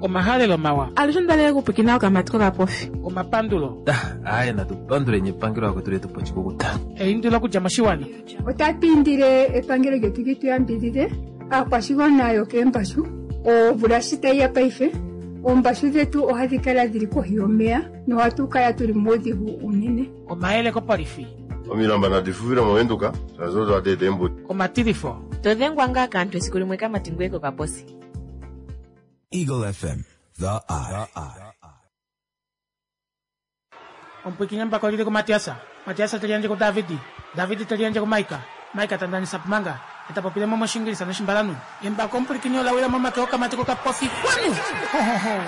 Omahalelo mawa. Alushe onda okupwikina okamati kokapofi. Omapandulo. Aaye natu panduleni epangelo akwetu letu po oshikukuta. Eindilo okudja moshiwana. Otatu indile epangelo lyetu li tu yambidhidhe aakwashigwana yokeembashu. Omvula shi tayi ya paife, oombashu dhetu ohadhi kala dhili kohi yomeya nohatu kala tuli muudhigu uunene. Omayele kopolifi. Omilamba nadi fufile mOvenduka, shaashi odo hadi eta eembudi. Omatilifo. To dhengwa ngaa kaantu esiku limwe kamati ngoye kokaposi. Eagle FM, the eye. Omupwiikini embako lili kuMatiasa. Matiasa te liyandje kuDavidi. Davidi te liyandje kuMaika. Maika ta ndanisa Pumanga. E ta popile mo mOshiingilisa nOshimbalanhu. Embako omupwilikini ola wila momake okamati kokapofi. Kwanu! Ho, ho, ho.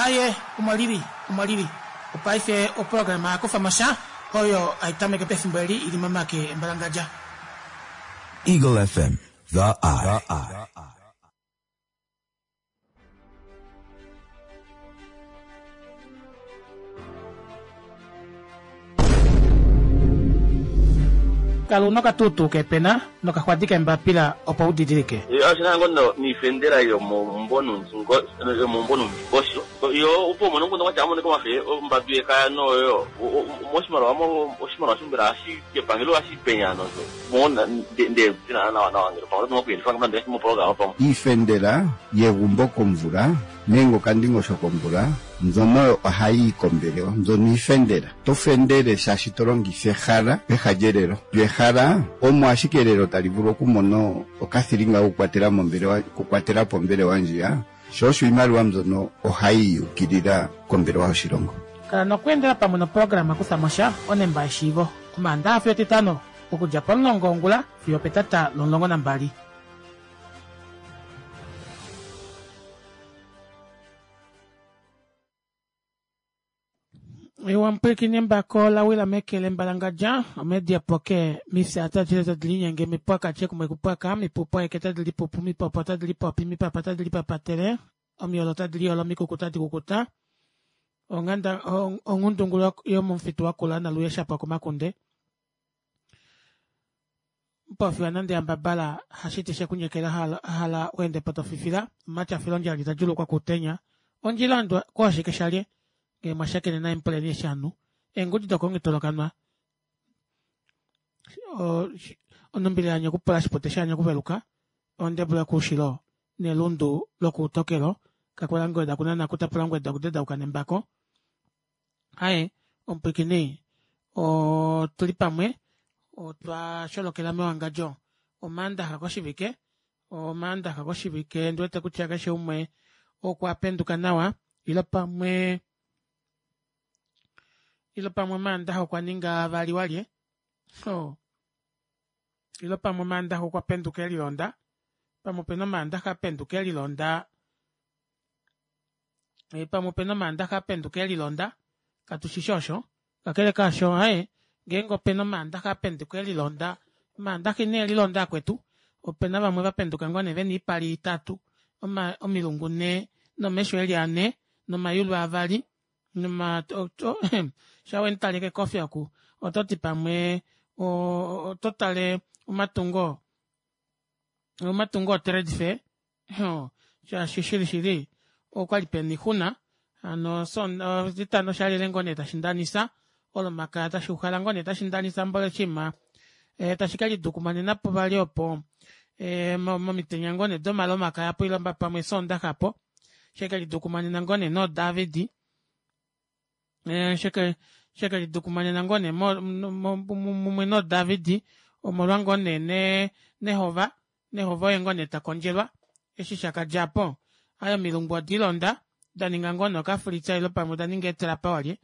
Aye, omo lili. Omo lili. Opaife oprograma ya kufa mo sha, oyo hai tameke pefimbo eli i li momake embalangadja. Eagle FM, the eye. Kala una okatuutuu keepena nokaxwadi keembapila opo u didilike. Oshi na ngo niifendela yomomumvo numvo yo opo umone omukundu gwatya amonike omafe ombambi yekaya noyo moshimaliwa oshimaliwa shombela hashi kepangelo hashi penya nozo mona nde tina nawa nawa ngele pamwe oto kuyelifa ngamba mopologama pamwe. Iifendela yegumbo komvula nenge okandingosho komvula mbyono ohayi yi kombelewa, mbyono iifendela. To fendele shaashi to longitha ehala peha lyelelo. Lyo ehala omo ashike elelo tali vulu okumona okathilinga kokukwatela mombelewa, okukwatela po ombelewa ndjiya. Sho osho iimaliwa mbyono ohayi yukilila kombelewa yoshilongo. Kala nokweendela pamwe noprograma Kutha mo sha, onemba yeshiivo, Omaandaxa fiyo Etitano, okudja pomulongo wongula fiyo opetata lomulongo nambali. Ewa mupwilikini embako la wila meke lembalangadja omedia poke mifya tadi tadi linyenge mipwaka tye kumwe kupwaka mipupo eke tadi lipupu mipopo tadi lipopi mipapa tadi lipapatele omiyolo tadi liyolo omikuku tadi kukuta onganda onghundungulu yomomufitu wakula naluye shapwa komakunde Mupofiwa nande yambabala hashiti shekunyekela hala u ende po to fifila omatyafilo ondjali ta djulukwa kuutenya ondjila andwa kooshike shalye ngee mwa shakene naye mupuleni eshi anu eengudi dokongitolokanwa onumbile yanye okupula shipute shanye okuveluka ondebula yokuushilo nelundu lokuutokelo kakwela ngweda kunana kutapula ngweda okudedauka nembako Aye, omupwiikini, otu li pamwe, otwa sholokela mewangadjo Omaandaxa koshivike, Omaandaxa koshivike, ndi wete kutya keshe umwe okwa penduka nawa, ilo pamwe, ilo pamwe Omaandaxa okwa ninga vali walye. Oh. Ilo pamwe Omaandaxa okwa penduka e lilonda, pamwe opena Omaandaxa a penduka e lilonda. Eh, pamwe opena omaandaxa a penduka e lilonda katu shi shi osho kakele kaasho aye ngeenge opena omaandaxa a penduka e lilonda omaandaxa ine lilonda akwetu opena vamwe va penduka ngoo nee vena oipala itatu oma, omilungu nhee nomesho eli ane nomayulu avali noma sha wemutale kekofi oku oto ti pamwe oto tale omatungo omatungo otrade fair shaashi shili shili okwali pena oixuna hano etitano shalile ngoo nee tashi ndanisa olomakaya tashi uhala ngoo nee tashi ndanisa mboli oshinima eh, tashi ke lidukumanena po vali opo eh, momitenya ngoo nee domalomakaya po ilomba pamwe sondaxa po sheke lidukumanena ngoo nee noDavid eh, sheke sheke lidukumanena ngoo nee mumwe noDavid omolwa ngoo nee nehova Nehova oye ngoo nee ta kondjelwa. Eshi sha ka dja po, aye omilungu odi londa, da ninga ngoo nee okafulitsa ilo pamwe oda ninga eetrapa walye.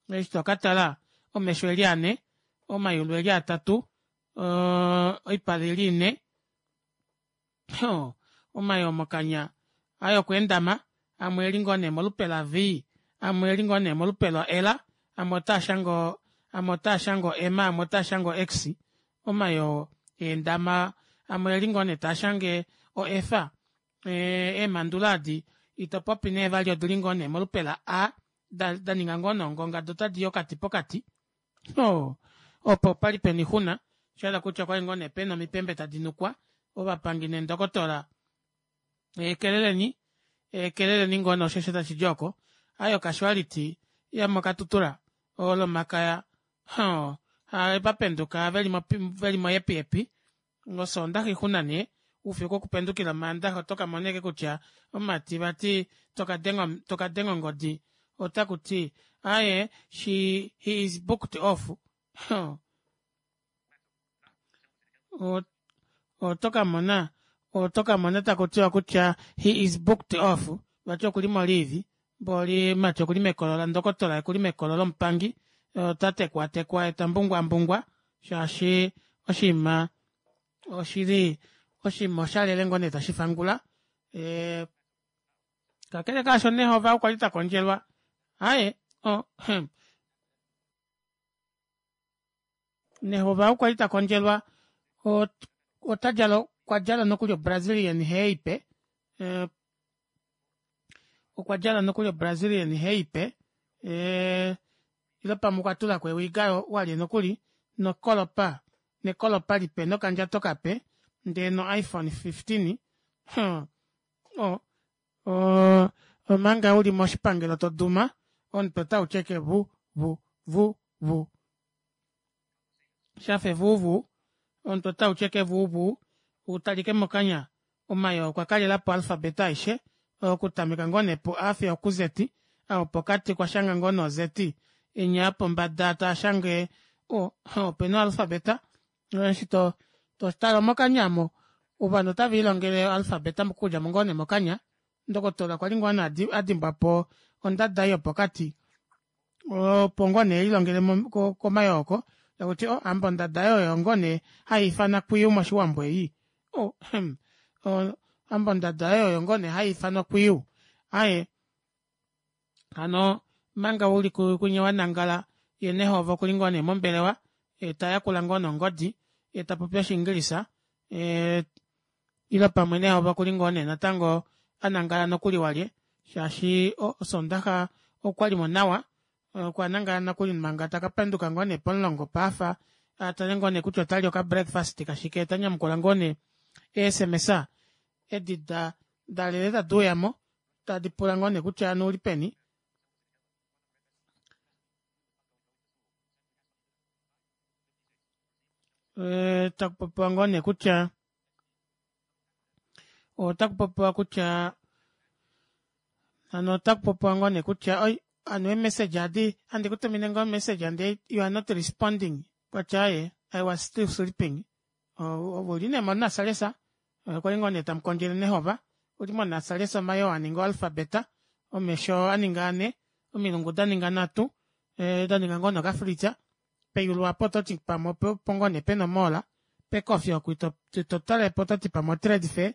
Eshi to ka tala, omesho e li ane, omayulu e li atatu, oipala i li ine, omayoo mokanya aye okwa endama, amwe e li ngoo nee molupe la-V, amwe e li ngoo nee molupe lo-L, amwe otaa shange o, amwe otaa shange o-M, amwe otaa shange o-X. Omayoo eendama amwe eli ngoo nee taa shange o F. Eemandula adi ito popi nee vali odili ngoo nee molupe la A da, da ninga ngoo nee ongonga do tadi i okati pokati. Oh, opo opali pena oixuna, sha hala kutya okwali ngoo nee pena omipembe tadi nukwa, ovapangi neendokotola ekeleleni. Keleleni ngoo nee osho tashi di oko. Aaye ocasuality yomoKatutura Olomakaya hoo va penduka veli moyepiyepi Osoondaxa oixuna nee oufiku okupendukila Omaandaxa oto kamona ashike kutya omumati vati tokadenga ongodi otakuti aaye she he is booked off hoo oto kamona oto kamona takutiwa kutya he is booked off vati okuli mo leave mboli mati okuli mekolo landokotola okuli mekolo lomupangi ota tekwaatekwa ye tambungwaambungwa shaashi oshinima oshili oshinima oshalele ngoo nee tashi fangula e, kakele kaasho nehova okwa li ta kondjelwa aye oh, Nehova okwa li ta kondjelwa ota djala okwa djala nokuli oBrazilian hair ipe eh, okwa djala nokuli oBrazilian hair ipe eh, ile pamwe okwa tula ko ewiga walye nokuli nokolopa nekolopa lipe nokandjato kape ndee no iPhone 15 huh. oh, oh, omanga uli moshipangelo to duma omutwe otau tyeke vu vu vu vu shafa evuuvuu omutwe otau tyeke evuuvuu utalike mokanya omayoo okwa kalelapo oalfabeta aishe okutameka ngoo nee pu A fiyo oku Z opokati okwa shanga ngoo nee o Z enya pombada taashange opena oalfabeta eshi to tale mokanya omo ovanhu otave lilongele oalfabeta okudja ngoo nee mokanya ndokotola okwa li ngoo nee adimbwapo ondada ei yopokati opo ngoo nee elilongele komayooko takuti oh hamba ondada oyo ngoo nee haiifana kwiyu moshiwambo ei oh, hamba ondada oyo ngoo nee haiifanwa kwiyu aye hano manga uli kunye wanangala ye nehova okuli ngoo nee mombelewa ye tayakula ngoo nongodi ye tapopi oshiingilisa ile pamwe nehova okuli ngoo nee natango anangala nokuli walye shaashi osondaxa okwalimo nawa okwa nangala nokuli manga taka penduka ngoo nee pomulongo paafa atale ngoo nee kutya otali oka breakfast kashike ta nyamukula ngoo nee eesms edi da dalele tadi uyamo tadi pula ngoo nee kutya anu uli peni. Eh, taku popiwa ngoo nee kutya otaku popiwa kutya hano otaku popiwa ngoo nee kutya oi anu eemessage adi handi ku tumine ngoo message and you are not responding kwatya aye I was still sleeping ove uli nee monasalesa okwali ngoo nee tamukondjele nehova uli monasalesa omayoo aninga oalfabeta omesho aninga ane omilungu daninga nhatu eh, daninga ngoo nokafritsa peyulu apo ototi pamwe opo ngoo nee pena omoola pekofi oku ito tale po ototi pamwe otrade fair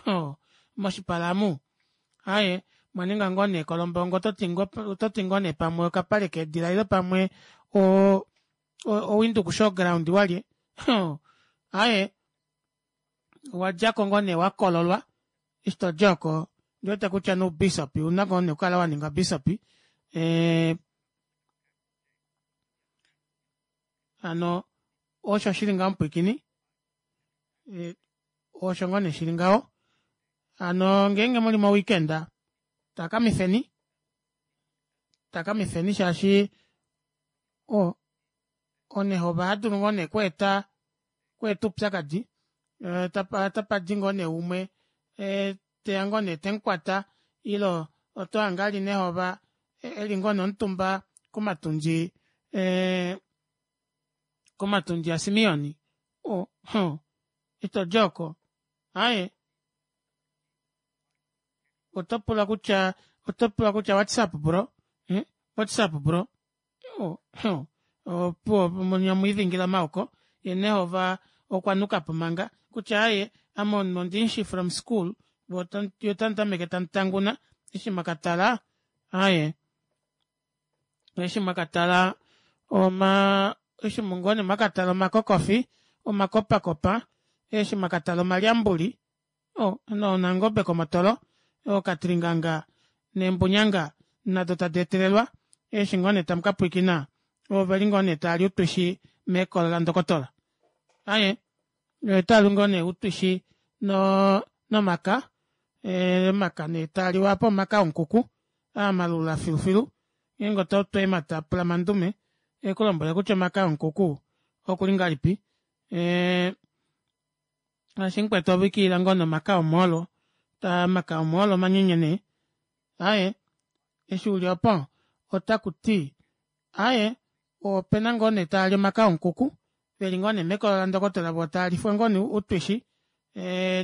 oh, moshipala amu aye mwaninga ngoo nee kolombongo ototi ngoo nee pamwe okapale keedila ile pamwe o oWindhoek Showground walye aye wadjako ngoo nee wakololwa eshi todi oko ndiwete kutya noubisop una ngoo nee okukala waninga bishop eh, hano osho shili ngaho mupwiikini eh, osho ngoo nee shili ngaho hano ngeenge muli moweekend takamifeni takamifeni shaashi o onehova ohadulu ngoo nee kweeta kweeta oupyakadi eh, tapa tapa di ngoo nee umwe eh, teya ngoo nee temukwata ilo oto hange ali nehova eh, eli ngoo nee omutumba komatundji eh, komatundji aSimeon oh, huh, ito di oko aye oto pula kutya oto pula kutya whatsapp bro eh? whatsapp bro oh, oh, opuwo omwiidhingila maoko ye nehova okwa nuka po manga kutya aye ame omunhu ondimushi from school yo tamu tameke tamu tanguna eshi mwakatala aye eshi mwakatala oma eshi ngoo nee mwakatala omakokofi omakopakopa eshi mwakatala omalyambuli Oh, nonangobe komotolo okatringanga neembunyanga nado tadi etelelwa eshi ngoo nee tamu ka pwiikina oveli ngoo nee taali utwishi mekolo landokotola aye otaali ngoo nee utwishi no nomaka Omaka nee taaliwa apa omaka omukuku aa malula filufilu ngeenge oto eemata pula mandume ekulombwele kutya omaka omukuku okuli ngahelipi shaashi mukwetu ove ikilila ngoo nee omaka omoolo omaka omoolo omanyenye nee aaye eshi uli opo otakuti aaye opena ngoo nee taali omaka omukuku veli ngoo nee mekolo landokotola voo taalifwa ngoo nee outwishi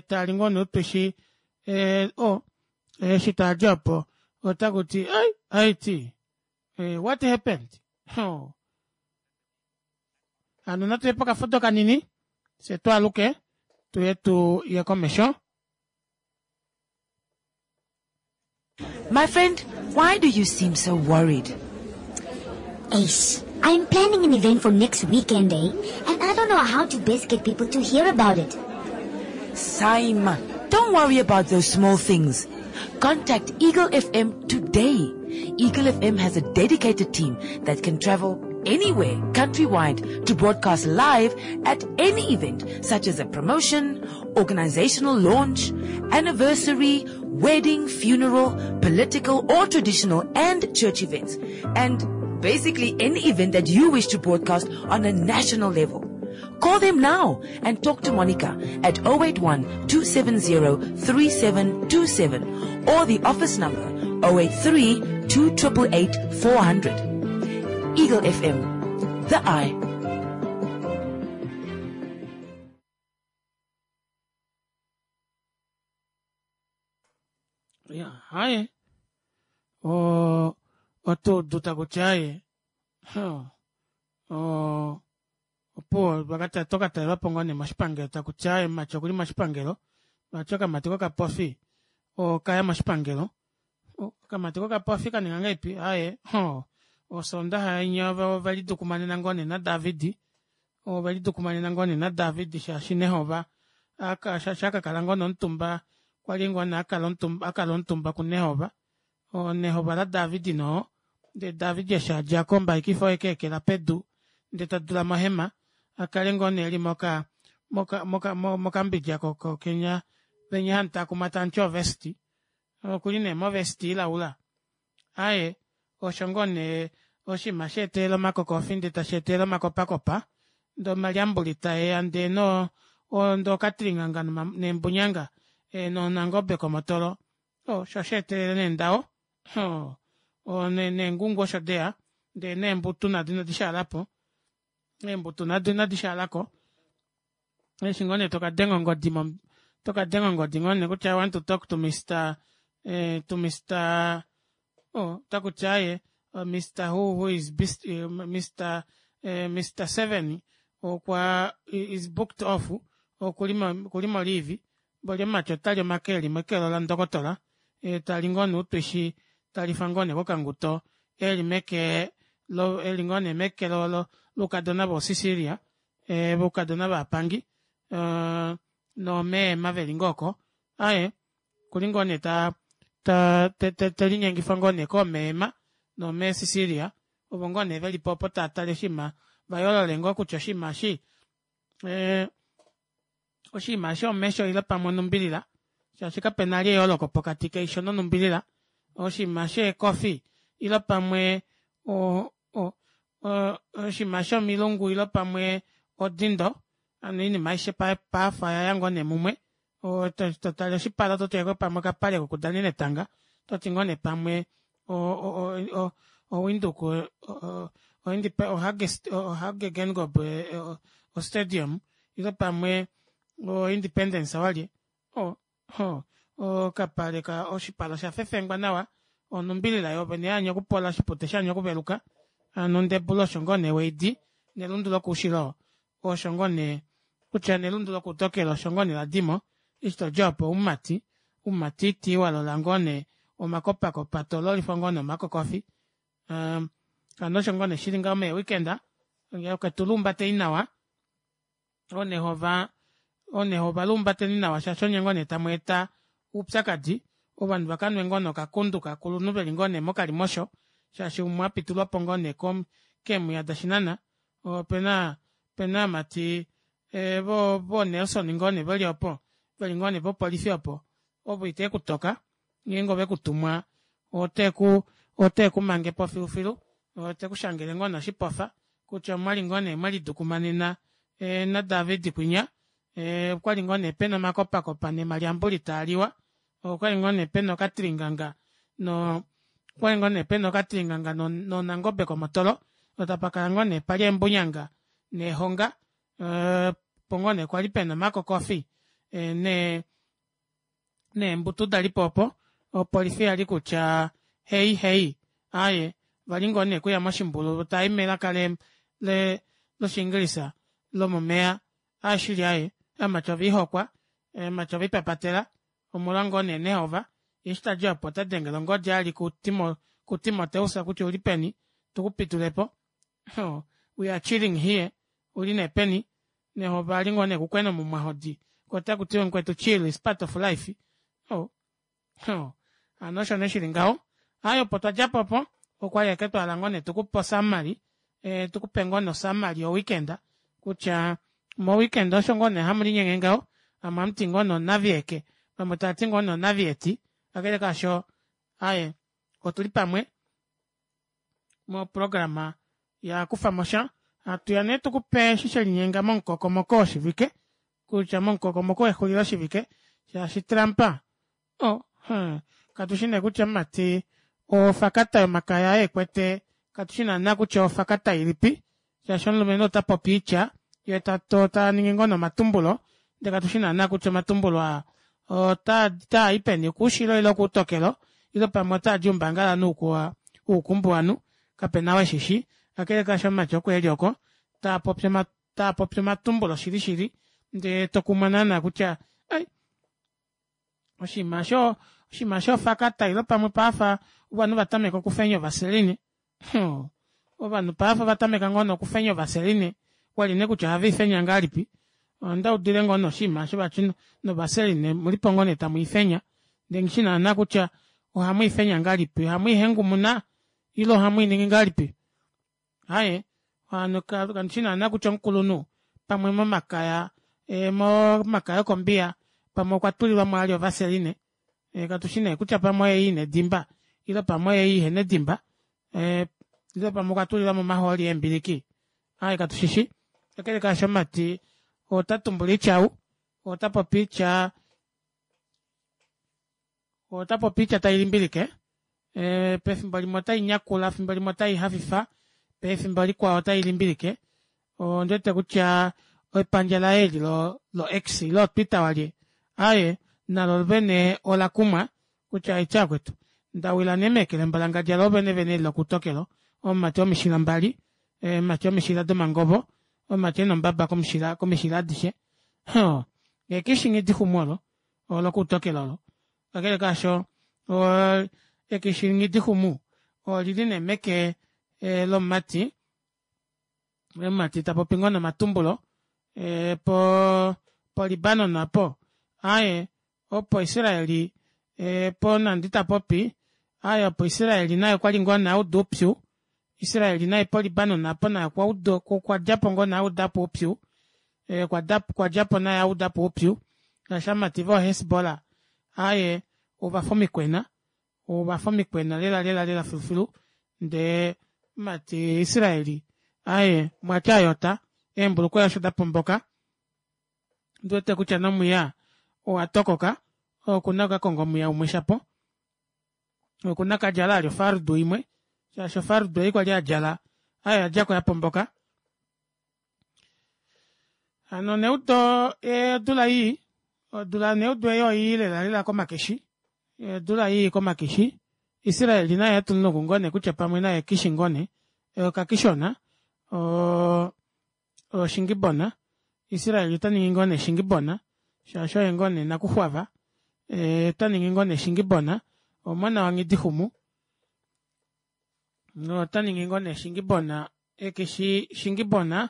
taali ngoo nee outwishi oo eshi taali opo otakuti ai aiti what happened hoo hano natuye pokafudo kanini fye twaaluke tuye tuye komesho. My friend, why do you seem so worried? Ace, I'm planning an event for next weekend, eh? And I don't know how to best get people to hear about it. Saima, don't worry about those small things. Contact Eagle FM today. Eagle FM has a dedicated team that can travel anywhere countrywide to broadcast live at any event such as a promotion, organizational launch, anniversary, wedding, funeral, political or traditional and church events. And basically any event that you wish to broadcast on a national level. Call them now and talk to Monica at 081 270 3727 or the office number 083 2888 400. Eagle FM, the eye. Ya, haye. O, otuudu takutya haye. Huh. O, opuwo vakata tokatalelwapo ngoo nee moshipangelo takutya aaye mumati okuli moshipangelo vati okamati kokapofi okaya moshipangelo okamati kokapofi kaninga ngahelipi aaye hoo osondaxa inya ovelidukumanena ngoo nee naDavid ovelidukumanena ngoo nee naDavid shaashi Nehova shaashi akakala ngoo nee omutumba kwali ngoo nee akala omutumba kuNehova Nehova laDavid noo ndee David eshi adjako ombaikifa oye keekela pedu ndee tadula mohema akale ngoo nee eli moka moka moka mokambidja kenya venya hamutakuma tamuti ovest okuli nee movest ilaula aaye osho ngoo nee oshinima sheetelela omakokofi ndee tasheetelele omakopakopa ndee omalyambuli taeya ndee noo ndee okatilinganga neembunyanga noonangobe komotolo osho sheetelele nee ndawo neengungu osho deya ndee neembutu nado inadi shaalapo eembutu nado inadi shaalako eshi ngoo nee tokadenga ongodi tokadenga ongodi ngoo nee kutya i want to talk to Mr to Mr oh otakutya aaye Mr who who is best Mr Mr Seven okwa is booked off okuli mo leave mboli omumati otali omake eli mekelo landokotola tali ngoo nee outwishi talifa ngoo nee kokanguto eli meke eli ngoo nee meke loukadona voosicilia voukadona vaapangi noomeema veli ngoo oko aaye okuli ngoo nee ta telinyengifwa ngoo nee koomeema noomee Cecilia ovo ngoo nee velipo opo taatale oshinima vayoolole ngoo kutya oshinima eshi oshinima eshi omesho ile pamwe onumbilila shaashi kapena vali eyooloko pokati keisho nonumbilila oshinima sheekofi ile pamwe oshinima shomilungu ile pamwe odindo hano oinima aishe paife oyaya ngoo nee mumwe totale oshipala ototi ashike pamwe okapale kokudanena etanga ototi ngoo nee pamwe oWindhoek oHage Geingob ostadium ile pamwe oIndependence walye okapale oshipala oshafefengwa nawa onumbilila yoovene yaanya okupola oshipute shaanya okuveluka hano ondebula osho ngoo nee weidi nelundu lokoushilo osho ngoo nee kutya nelundu lokoutokelo osho ngoo nee ladimo eshi todja opo oumati oumatiti walola ngoo nee omakopakopa tololifwa ngoo nee omakokofi hano osho ngoo nee shili ngaho mee weekend okwetu lumbateni nawa oonehova oonehova lumbateni nawa shaashi onye ngoo nee tamweeta oupyakadi ovanhu vakanwe ngoo nee okakundu kakulunhu veli ngoo nee mokalimosho shaashi umwe apitulwapo ngoo nee keemwiya dashinana opena opena aamati vo Nelson ngoo nee veli opo veli ngoo nee popolifi opo. Ovo itekutoka ngeenge ovekutumwa oteku otekumangepo filufilu tekushangele ngoo nee oshipofa kutya omwali ngoo nee mwelidukumanena na david kwinya okwali ngoo nee pena omakopakopa nomalyambuli taaliwa okwali ngoo nee pena okatiringanga noo okwali ngoo nee pena okatiringanga nonangobe komotolo tapakala ngoo nee pali eembunyanga neehonga opo ngoo nee kwali pena omakokofi neembutu dalipo opo opolifi yali kutya heyi heyi aaye ovali ngoo nee okuya moshimbulu taayi melaka loshingilisa lomomeya aaye shili aaye ovamati oviihokwa ovamati oviipapatela omolwa ngoo nee nehova yee eshi tadi aapo otadengele ongodi ali ku timoteus kutya oulipeni tukupitulepo we are chilling here ouli neepeni nehova ali ngoo nee okukwena omumwahodi koo otakutiwa mukwetu chill is part of life oh hano osho nee shili ngaho aaye opo twadjapo opo okwali ashike twahala ngoo nee tukupe osummary tukupe ngoo nee osummary yo weekend kutya mo weekend osho ngoo nee hamulinyenge ngaho vamwe ohamuti ngoo nee onavieke vamwe tavati ngoo nee onavieti kakele kaasho aaye otuli pamwe moprograma ya kufamosha hatuya nee tukupe eshi shelinyenga momukokomoko woshivike kutya momukokomoko wexulilo shivike shaashi Trump oh katushi nee kutya mumati ofakata yomakaya ekwete katushi naana kutya ofakata ilipi shaashi omulumenhu ota popi oitya yee taningi ngoo nee omatumbulo ndee katushi naana kutya omatumbulo aa otaa i peni okoushilo ile okoutokelo ile pamwe otaadi oumbangalanhu woukumbuwanhu kapena ou eshishi kakele kaasho omumati oko eli oko taapopi omatumbulo shili shili ndee tokumwa naana kutya ai oshinima osho oshinima shofakata ile pamwe paafa ovanhu vatameka okufenya ovaseline ovanhu paife ovatameka ngoo nee okufenya ovaseline kwali nee kutya ohaveifenya ngahelipi ondaudile ngoo nee oshinima osho vati novaseline omulipo ngoo nee tamwiifenya ndee nghishi naana kutya ohamwiifenya ngahelipi ohamwiihengumuna ile ohamwiiningi ngahelipi aaye hano kandishi naana kutya omukulunhu pamwe momakaya momakaya okombiya pamwe okwa tulilwamo ali ovaseline katushi nee kutya pamwe oyeyi ina edimba ile pamwe oyeyi ihena edimba ile pamwe okwa tulilwamo omahooli eembiliki aaye katushishi kakele kaasho omumati ota tumbula oitya ou ota popi oitya ota popi oitya tailimbilike pefimbo limwe otai nyakula efimbo limwe otai hafifa pefimbo likwao otai limbilike ondiwete kutya epandja laye eli lo x ile otwitter walye aaye nalo vene ola kumwa kutya aitya akwetu ndawila nee meke lembalangadja lo vene vene eli lokutokelo omumati womishila mbali omumati womishila domangovo omumati ena ombaba komushila komishila adishe hoo ekishi nghidixumu olo olokuutokelo olo kakele kaasho ekishi nghidixumu olili nee meke lomumati omumati tapopi ngoo nomatumbulo po polibanon apo aaye opo israeli po nandi tapopi aaye opo israeli naye okwali ngoo nee auda oupyu Israel naye polibanon apo naye okwadjapo ngoo nee audapo oupyu okwadjapo naye audapo oupyu shaashi ovamati vo Hezbollah aaye ovafa omikwena ovafa omikwena lela lela lela filufilu ndee omumati Israel aaye mwati ayota eembulukweya osho dapomboka ondiwete kutya nomwiya owatokoka okuna okukakonga omwiya umwe shapo okuna kadjala ali ofardu imwe shaashi ofardu ei kwali adjala ayo yadjako yapomboka hano neudo odula ii odula neudo ei oii lela lela komakishi odula ii komakishi Israel naye atulunuku ngoo nee kutya pamwe naye kishi ngoo nee okakishona oshingibona Israel ota ningi ngoo nee shingibona shaashi oye ngoo nee nakuxwava ota ningi ngoo nee shingibona omona wanghidixumu ota ningi ngoo nee shingibona ekishi shingibona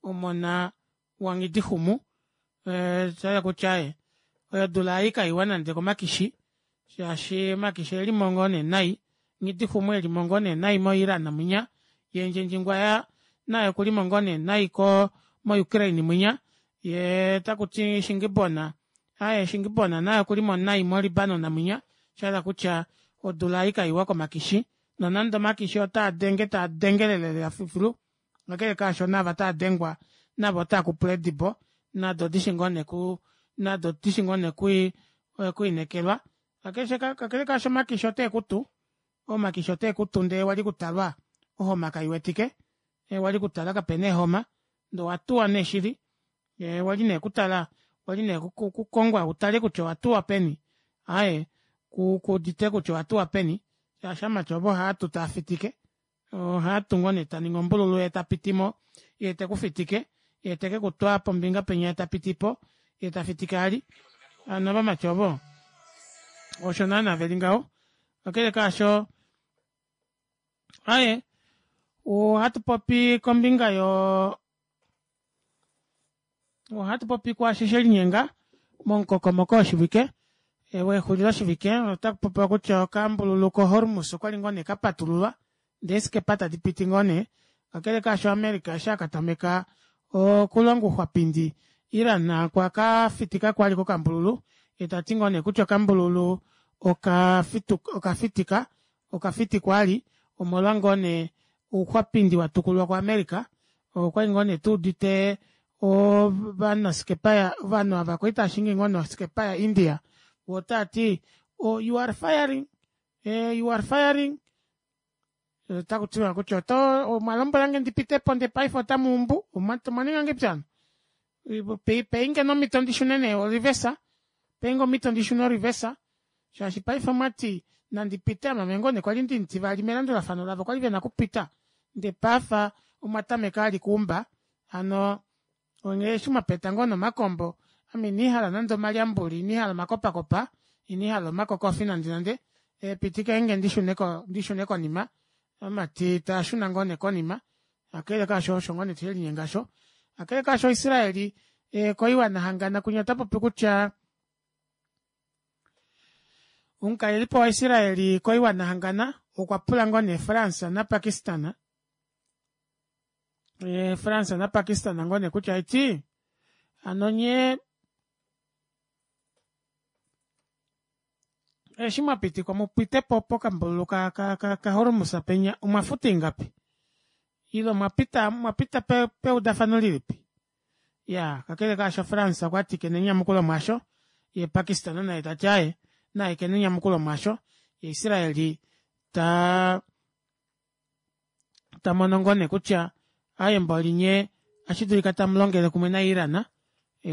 omona wanghidixumu shahala kutya aaye odula ei kaiwa nande komakishi shaashi omakishi oelimo ngoo nee nai Nghidixumu elimo ngoo nee nai mo Iran mwinya yee Ndjendjingwaya naye okulimo ngoo nee nai ko mo Ukraine mwinya yee takuti Shingibona. Aaye Shingibona naye okulimo nai mo Libanon mwinya, shahala kutya odula ei kaiwa komakishi, nonande omakishi otaa denge taa dengelele lela filufilu, kakele kaasho naava taa dengwa navo otaa kupula eedibo nado odishi ngoo nee ku nado odishi ngoo nee okwiinekelwa kakele kaasho omakishi oteekutu omakishi oteekutu ndee wali kutalwa ohoma kaiwetike wali kutala kapena eehoma ndee owatuwa nee shili wali nee kutala wali nee kukongwa utale kutya owatuwa peni aaye kuudite kutya owatuwa peni shaashi ovamati ovo ohaatu taafitike ohaatu ngoo nee taningi ombululu yee tapitimo yee tekufitike yee tekekutwa pombinga penya yee tapitipo yee tafitike vali hano ovamati ovo osho naana veli ngaho kakele kaasho aaye ohatu popi kombinga yo Ohatu popi kwaasho she linyenga momukokomoko woshivike wexuliloshivike. Otaku popiwa kutya okambululu koHormuz okwali ngoo nee kapatululwa ndee eeskepa tadi piti ngoo nee. Kakele kaasho America eshi a katameka okulonga ouxwapindi, Iran okwa ka fitika kwali kokambululu yee tati ngoo nee kutya okambululu okafitika okafitikwa ali omolwa ngoo nee ouxwapindi watukulwa kuAmerica. Okwali ngoo nee tuudite ovanaskepa ovanhu ava kwali taashingi ngoo nee oskepa ya India voo otaati oh you are firing you are firing otakutiwa kutya oto omwalombwelange ndipitepo ndee paife otamuumbu omwaninga ngahelipi hano peinge nee omito ndishune nee orivesa peinge omito ndishune orivesa shaashi paife omwati nandi pite ame ame ngoo nee kwali ndimutivali melandulafano lavo kwali vena okupita ndee paife omwa tameka vali okuumba hano onghee eshi mwapeta ngoo nee omakombo ame inandihala nande omalyambuli inandihala omakopakopa inandihala omakokofi nande nande pitikenge ndishune konima ovamati taashuna ngoo nee konima kakele kaasho osho ngoo nee shelinyenga aasho kakele kaasho Israeli koiwana hangana kwinya otapopi kutya Omukalelipo wa Israel koiwana hangana okwa pula ngoo nee France na Pakistan France na Pakistan ngoo nee kutya eti hano nyee eshi mwa pitikwa mupitepo pokambululu ka, ka, ka, ka Hormuz penya omwa futa ingapi ile omwa pita mwa pita pe, peudafano lilipi Iyaa, kakele kaasho France okwati kena enyamukulo mwaasho, yee Pakistan naye tati aaye naye kena enyamukulo mwaasho, ye Israel ta tamono ngoo nee kutya aaye mboli nyee ohashi dulika tamulongele kumwe na Iran,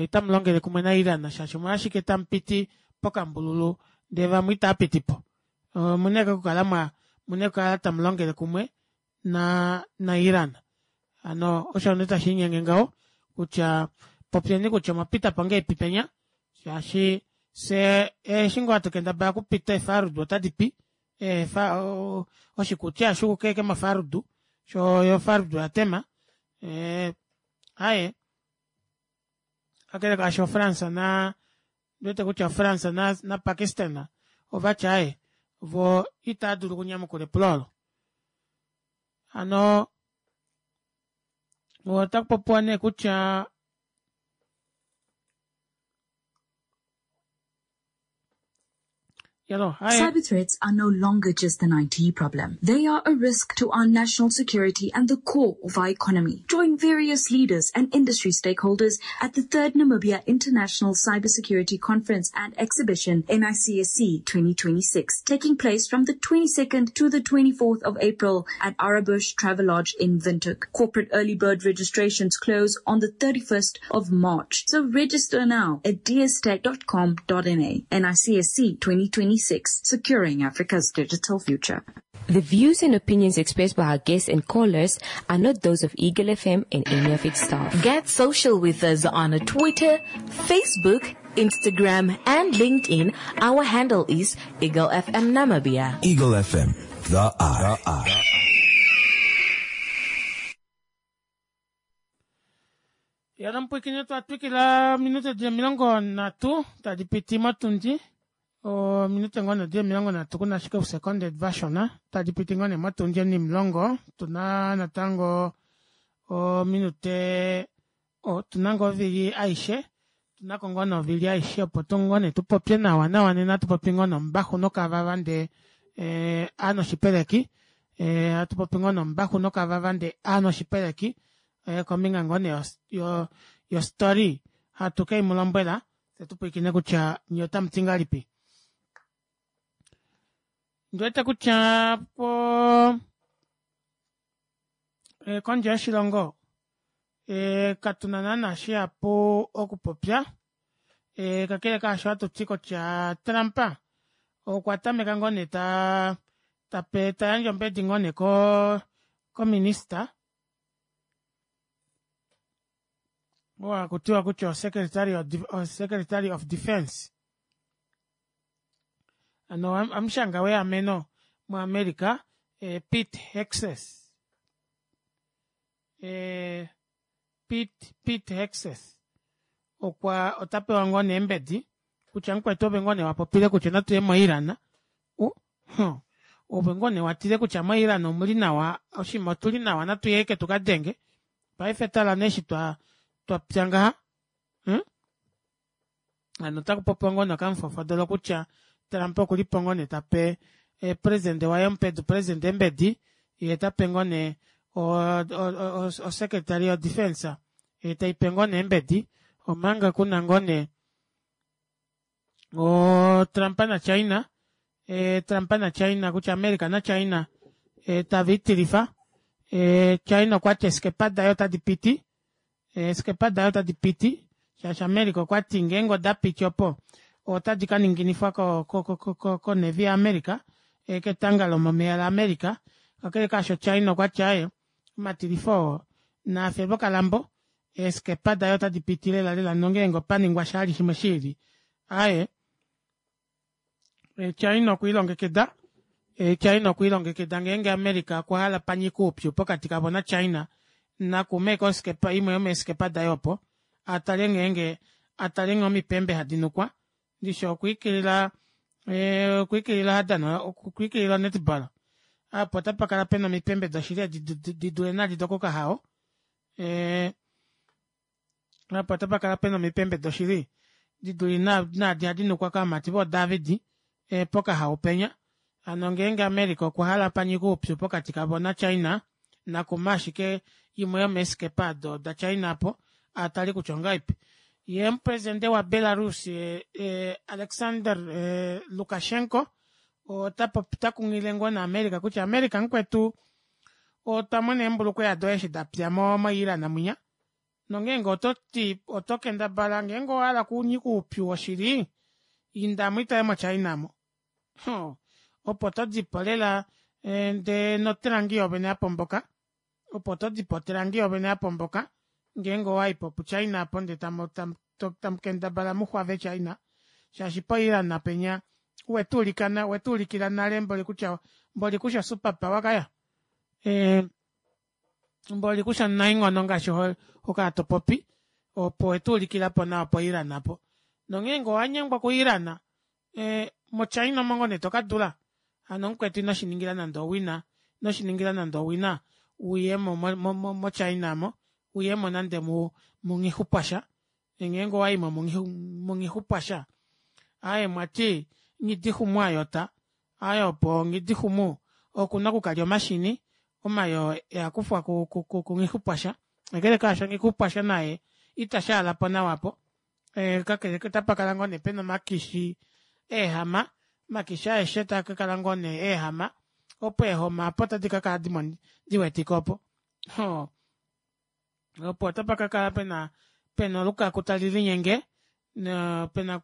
otamulongele kumwe na Iran shaashi omolwashike tamupiti pokambululu ndee vamwe itaapitipo. Omuna ashike okukala mwa omuna okukala tamulongele kumwe na naIran. Hano osho nee tashi linyenge ngaho kutya popyeni kutya omwa pita po ngahelipi penya shaashi fye eshi ngoo hatu kendabala okupita eefarudu otadi pi eefa oshikuti ohashi uka ashike mofarudu shoo yo ofarudu oya tema aaye kakele kaasho France na Ondiwete kutya France naPakistan ovati aaye voo itava dulu okunyamukula epulo olo. Hano otaku popiwa nee kutya Cyber threats are no longer just an IT problem. They are a risk to our national security and the core of our economy. Join various leaders and industry stakeholders at the third Namibia International Cybersecurity Conference and Exhibition, NICSC 2026, taking place from the 22nd to the 24th of April at Arabush Travelodge in Windhoek. Corporate early bird registrations close on the 31st of March. So register now at dstech.com.na. NICSC 2026, securing Africa's digital future. The views and opinions expressed by our guests and callers are not those of Eagle FM and any of its staff. Get social with us on Twitter, Facebook, Instagram and LinkedIn. Our handle is Eagle FM Namibia. Eagle FM, the eye. The eye. Ya nomupwiikini otwa twikila ominute di 30 tadi piti motundi ominute ngoo nee di 30 kuna ashike ousekonde vashona tadi piti ngoo nee motundi onimulongo otuna natango ominute otuna ngoo ovili aishe. Otunako ngoo nee ovili aishe opo ngoo nee tupopye nawa nawa nena atupopi ngoo nombaxu nokavava ndee aanoshipeleki atupopi ngoo nombaxu nokavava ndee aanoshipeleki kombinga ngoo nee yo story hatu kemulombwela fyee tupwilikine kutya nyee otamuti ngahelipi. Ondiwete kutya poo kondje yoshilongo katuna naana shihapu okupopya kakele kaasho ohatuti kutya trump okwa tameka ngoo nee taa tayandje ombedi ngoo nee ko minister oo hakutiwa kutya o secretary of defence hano hamushanga weameno mo america pete hexes pete hexes okwa otapewa ngoo nee eembedi kutya mukwetu ove ngoo nee wapopile kutya natuye mo iran ove ngoo nee watile kutya mo iran omuli nawa oshiima otuli nawa natuye ashike tukadenge paife tala nee eshi twapya ngaha hano otakupopiwa ngoo nee okamufofodolo kutya trump okulipo ngoo nee tape president waye omupedu president eembedi yee otape ngoo nee o secretary yo defence taipe ngoo nee eembedi omanga kuna ngoo nee oo trump na china trump na china kutya america na china taviitilifa china okwati eeskepa daye ota dipiti eeskepa daye ota dipiti shaashi america okwati ngeenge odapiti opo otadi kaninginifwa ko navy ya america ketanga lomomeya la america kakele kaasho china okwati aaye omatilifo oo naafe vokalambo eeskepa daye ota dipiti lela lela nongeenge opaningwa sha vali shimwe shiili aaye china okwiilongekida china okwiilongekida ngeenge america okwahala panyike oupyu pokati kavo na china nakume ashike oskepa imwe yomeeskepa daye opo atale ngeenge atale nghee omipembe hadi nukwa ndishi okwiikilila okwiikilila hadana okwiikilila onetball aapo otapakala pena omipembe doshili edi didule naadi dokokahao apa otapakala pena omipembe doshili didule naadi hadi nukwa kovamati voo david pokahao penya hano ngeenge america okwahala panyike oupyu pokati kavo na china nakume ashike imwe yomeeskepa aado da china aapo atale kutya ongahelipi yee omupresident wa belarus alexander lukashenko otakunghilile ngoo nee america kutya america mukwetu otwa mona eembulukweya doye eshi dapya mo iran mwinya nongeenge ototi oto kendabala ngeenge owahala kunyika oupyu woshili indamo itale mo china aamo opo todipo lela ndee notelangi yoovene yapomboka opo todipo otelangi yoovene yapomboka ngeenge owayipo pu china aapo ndee tamukendabala muxwave china shaashi po iran penya wetuulikila nale mboli kutya mboli kushi o super power kaya mboli kushi omunaenghono ngaashi hokala topopi opo wetuulikilapo nawa po iran aapo nongeenge owanyengwa ku iran mo china omo ngoo nee tokadula hano mukwetu inoshiningila nande owina inoshiningila nande owina uyemo mo china aamo uyemo nande munghixupwasha ngeenge owaimo munghixupwasha aaye mwati nghidixumu ayota aaye opo nghidixumu okuna okukalya omashini omayoo eakufwa kunghixupwasha kakele kaasho nghixupwasha naye ita shaalapo nawa aapo kakele otapakala ngoo nee pena omakishi eehama omakishi aeshe taakakala ngoo nee eehama opo eehoma aapo tadi kakala diwetike opo opo otapakakala pena pena olukaku tali linyenge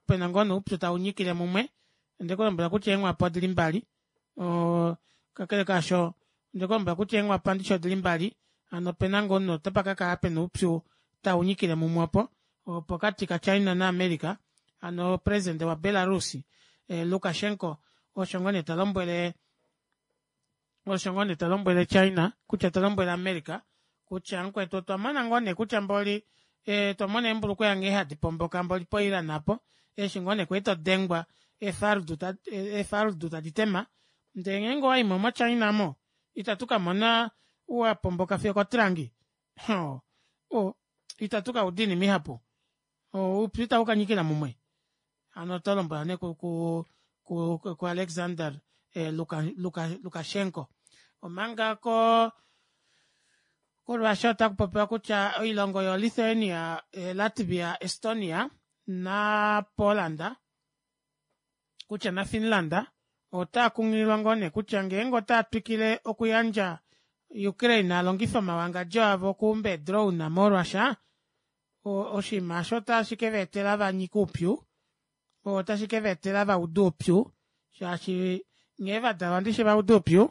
pena ngoo nee oupyu taunyikile mumwe ondekulombwela kutya eenghwapa odili mbali kakele kaasho ondekulombwela kutya eenghwapa ndishi odili mbali hano opena ngoo nee otapakakala pena oupyu taunyikile mumwe opo pokati ka china na america hano president wa belarus lukashenko osho ngoo nee talombwele osho ngoo nee talombwele china kutya talombwele america kutya mukwetu otwa mona ngoo nee kutya mboli twamona eembulukweya nghee hadi pomboka mboli po iran aapo eshi ngoo nee kwali todengwa eefarudu tadi tema ndee ngeenge owaimo mo china aamo itatu kamona wapomboka fiyo okotrangi ita tukauda oinima ihapu. Oupyu itaukanyikila mumwe. Hano oto lombwela nee ku, ku, ku, ku Alexander eh, Luka, Luka, Lukashenko. Omanga ko koRussia otaku popiwa kutya oilongo yoLithuania, eh, Latvia, Estonia naPoland kutya naFinland otaa kunghililwa ngoo nee kutya ngeenge otaa twikile okuyandja Ukraine a longife omawangadjo avo okuumba eedrone moRussia, oshinima osho otashi ke va etela va nyike oupyu, otashi ke va etela va ude oupyu, shaashi nghee va dalwa ndishi va uda oupyu,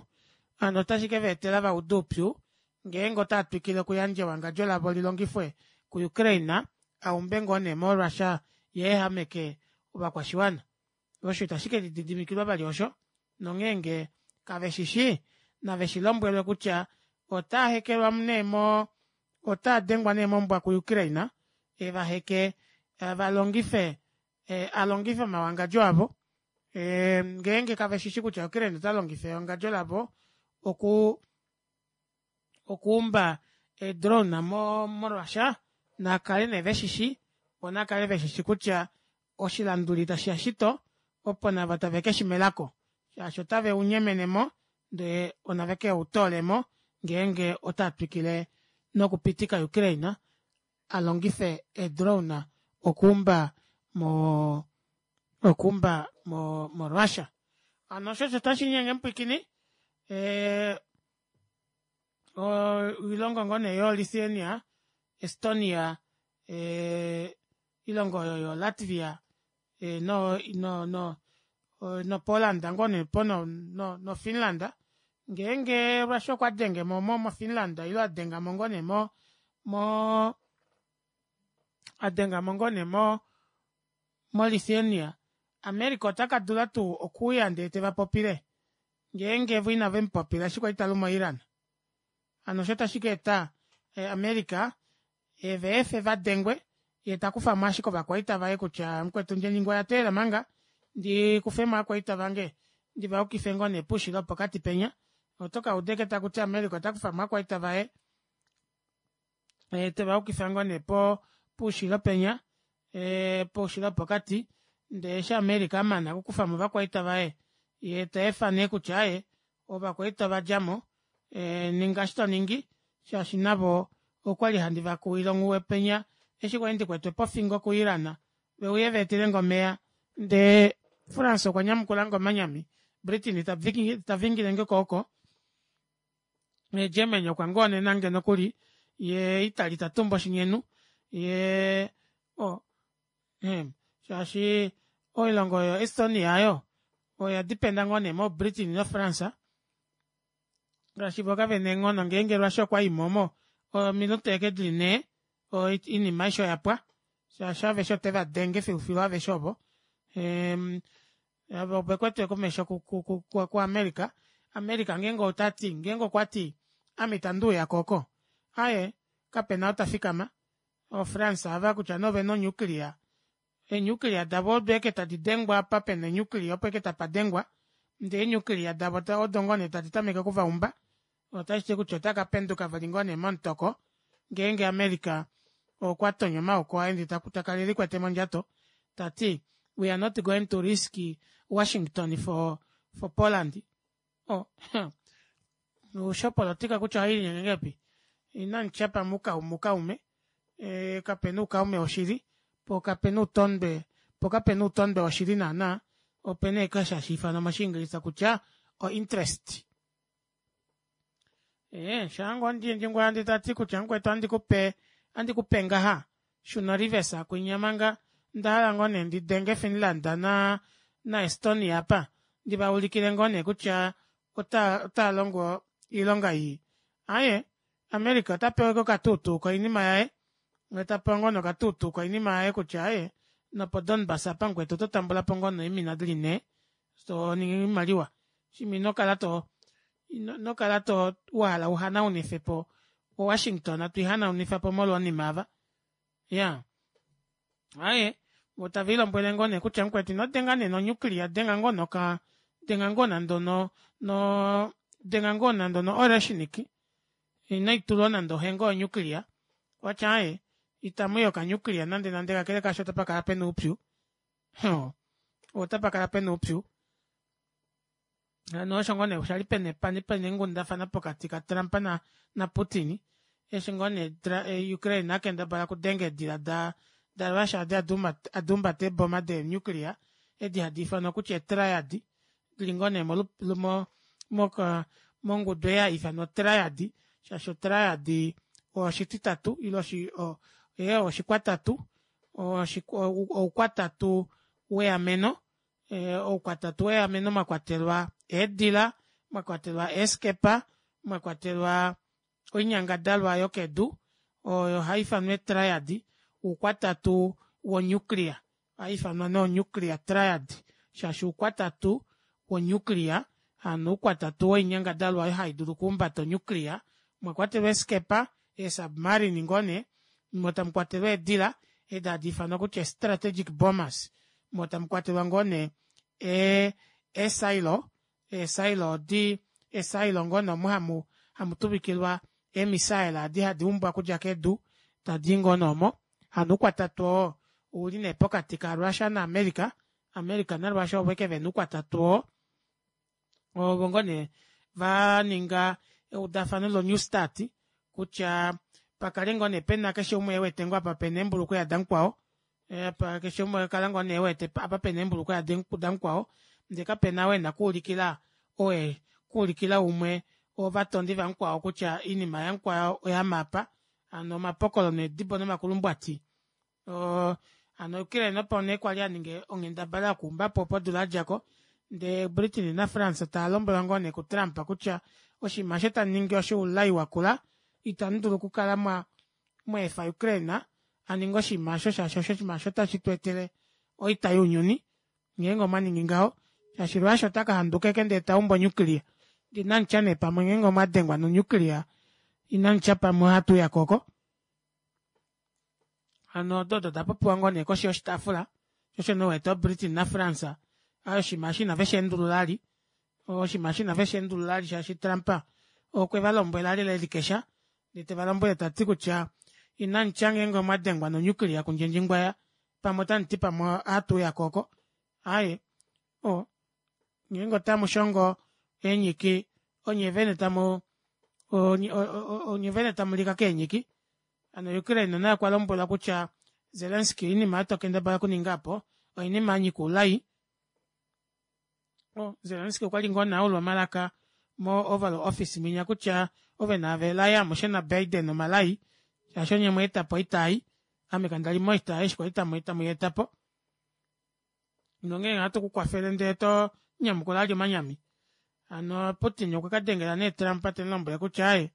hano otashi ke va etela va ude oupyu ngeenge otaa twikile okuyandja ewangadjo lavo li longifwe kuUkraine a umbe ngoo nee moRussia ye ehameke ovakwashiwana. Osho itashi ke lididimikilwa vali osho, nongeenge kave shi shii, nave shi lombwelwe kutya otaa hekelwa nee mo otaa dengwa nee mombwa kuUkraine e va heke va longife a longife omawangadjo avo ngeenge kave shi shi kutya Ukraine ota longifa ewangadjo lavo oku okuumba eedrone mo moRussia nakale nee veshishi vo nakale veshishi kutya oshilanduli tashiya shito opo navo tave keshi melako shaashi otave unyemene mo ndee onave ke utoole mo ngeenge otaa twikile nokupitika Ukraine a longife eedrone okuumba mo okuumba mo moRussia. Hano osho osho tashi nyenge mupwikini eh, oilongo ngoo nee yoLithuania, Estonia, eh, ilongo oyo yoLatvia eh, no, no, no, noPoland ngoo nee po no, no, noFinland ngeenge Russia okwa denge mo mo moFinland ile a denga mo ngoo nee mo mo a denga mo ngoo nee mo moLithuania America ota ka dula tuu okuuya ndee te va popile ngeenge vo inave mu popila eshi kwali ta lu moIran. Hano osho tashi ka eta eh, America eve efe va dengwe ye ta kufa mo ashike ovakwaita vaye kutya mukwetu ndje oya teelela manga ndi kufe mo ovakwaita vange ndi va yukife ngoo nee poushilo pokati penya. Oto ka uda eke taku ti America ota kufa mo ovakwaita vaye e, te va yukifa ngoo nee po poushilo penya e, poushilo pokati ndee eshi America a mana okukufa mo ovakwaita vaye ye ta efa nee kutya aye ovakwaita ova dja mo e, ninga eshi to ningi shaashi navo okwali handi va kuwile onghuwe penya eshi kwali ndi kwetwe pofingo kuIran ve uye va etele nge omeya ndee France okwa nyamukula nge omanyami Britain ta vingile nge kooko Germany okwa ngoonena nge nokuli ye Italy ta tumba oshinyenu ye o oh, shaashi oilongo oyo Estonia ayo oya dipenda ngoo nee moBritain noFrance ngaashi vo kave na eenghono ngeenge Russia okwa i momo ominute eke dili nhee oinima aishe oya pwa shaashi aveshe ote va denge filufilu aveshe ovo ava ove kwetwe komesho kuAmerica America ngeenge ota ti ngeenge okwa ti ame itandi uya ko oko aye kapena ou ta fikama oFrance ava kutya nee ovena onuclear eenuclear davo odo eke tadi dengwa apa pena enuclear opo eke tapa dengwa ndee eenuclear davo odo ngoo nee tadi tameke okuvaumba otashi ti kutya otaka penduka vali ngoo nee momutoko ngeenge America okwa tonya omaoko aye ndee ta kala elikwete mondjato ta ti we are not going to risk Washington for, for Poland oh, oshopolotika kutya ohai linyenge ngepi inamutya pamwe ukaume ukaume e, kapena ukaume woshili po kapena utondwe po kapena utondwe woshili naana opena eke hashi ifanwa moshiingilisa kutya o interest ee shaango ndjingwa yandi ta ti kutya mukwetu andi kupe andi kupe ngaha shuna reverse kwinya manga nda hala ngoo nee ndi denge Finland na na Estonia apa ndi va ulikile ngoo nee kutya ota ota longo iilonga ii aye America ota pewa okatuutuu koinima yaye ta pewa ngoo nokatuutuu koinima yaye kutya aye nopo Donbass apa mukwetu oto tambula po ngoo noimina dili nhee to ningi oimaliwa shimwe ino kala to ino kala to wa hala u hanaunife po oWashington to ihanaunifa po molwonima ava ya aye vo tave ilombwele ngoo nee kutya mukwetu ino denga nee nonyuklia denga ngoo noka denga ngoo nande no no denga ngoo nande no oreshnik ino itulwa nande ohengo yonyuklia watya aye. Itamuyi oka nuclear nande nande kakele kaasho otapa kala pena oupyu. Otapa kala pena oupyu. Hano osho ngoo nee oshali pena pena eenghundafana pokati ka trump na putin eshi ngoo nee ukraine akendabala okudenga eedila da russia edi aduumbata eeboma dee nuclear edi hadiifanwa kutya ee triad dili ngoo nee mongudu ei haiifanwa triad shaashi o triad oshititatu ile oshikwatatu oukwatatu weameno oukwatatu weameno mwakwatelwa eedila mwakwatelwa eeskepa mwakwatelwa oinyangadalwa yokedu oyo haiifanwa ee triad oukwatatu wo nuclear ohaiifanwa nee o nuclear triad shaashi oukwatatu wo nuclear hano oukwatatu woinyangadalwa oyo haidulu okuumbata o nuclear omwakwatelwa eeskepa ee submarine ngoo nee moo tamukwatelwa eedila edi hadiifanwa kutya ee strategic bombers moo tamukwatelwa ngoo nee ee silo ee silo odi ee silo ngoo nee omu hamu tuvikilwa ee missile edi hadi umbwa okudja kedu tadii ngoo nee omo hano oukwatatu oo ouli nee pokati ka russia na america, america na russia ovo ashike vena oukwatatu oo ovo ngoo nee vaninga eudafano lo new start kutya pakale ngoo nee pena keshe umwe ewete ngoo apa pena eembulukweya damukwao keshe umwe okala ngoo nee ewete apa pena eembulukweya damukwao ndee kapena ou ena okuulikila okuulikila umwe ovatondi vamukwao kutya oinima yamukwao oyama aapa hano omapokolo needibo nomakulumbwati hano Ukraine opo nee kwali aninga onghendabala yokuumbapo opo odula yadjako ndee Britain na france taalombwelwa ngoo nee ku Trump kutya oshinima osho tamuningi oshoulai wakula itamudulu okukala mwaefa Ukraine aninge oshinima osho shaashi oshinima osho otashi tweetele oita younyuni ngeenge omwaningi ngaho shaashi Russia otaka handuka ashike ndee taumbu o nuclear ndee inamutya nee pamwe ngeenge omwadengwa no nuclear inamutya pamwe ohatuuyako oko hano odo odo dapopiwa ngoo nee koshi yoshitaafula sho osho nee uwete o Britain na France oshinima eshi inave sheendulula vali oshinima eshi inave sheendulula vali shaashi Trump okwe valombwela lela elikesha ndee tevalombwele tati kutya inamutya ngeenge omwadengwa no nuclear kundjendjingwaya pamwe otamuti pamwe ohatuuyako oko aaye o ngeenge otamushongo eenyiki onye vene tamu onye vene tamulika keenyiki hano Ukraine naye okwa lombwelwa kutya Zelensky oinima oyo tokendabala okuninga opo oinima yanyika oulai Zelensky okwali ngoo nee aulwa omalaka mo Oval Office mwinya kutya ove naave elai amushe na Biden omalai shaashi onye mweetapo oita ei ame kandali moita eshi kwali tamuyeetapo nongeenge ohatu kukwafele ndee to nyamukula ali omanyami hano Putin okwa kadengela nee Trump temulombwele kutya aaye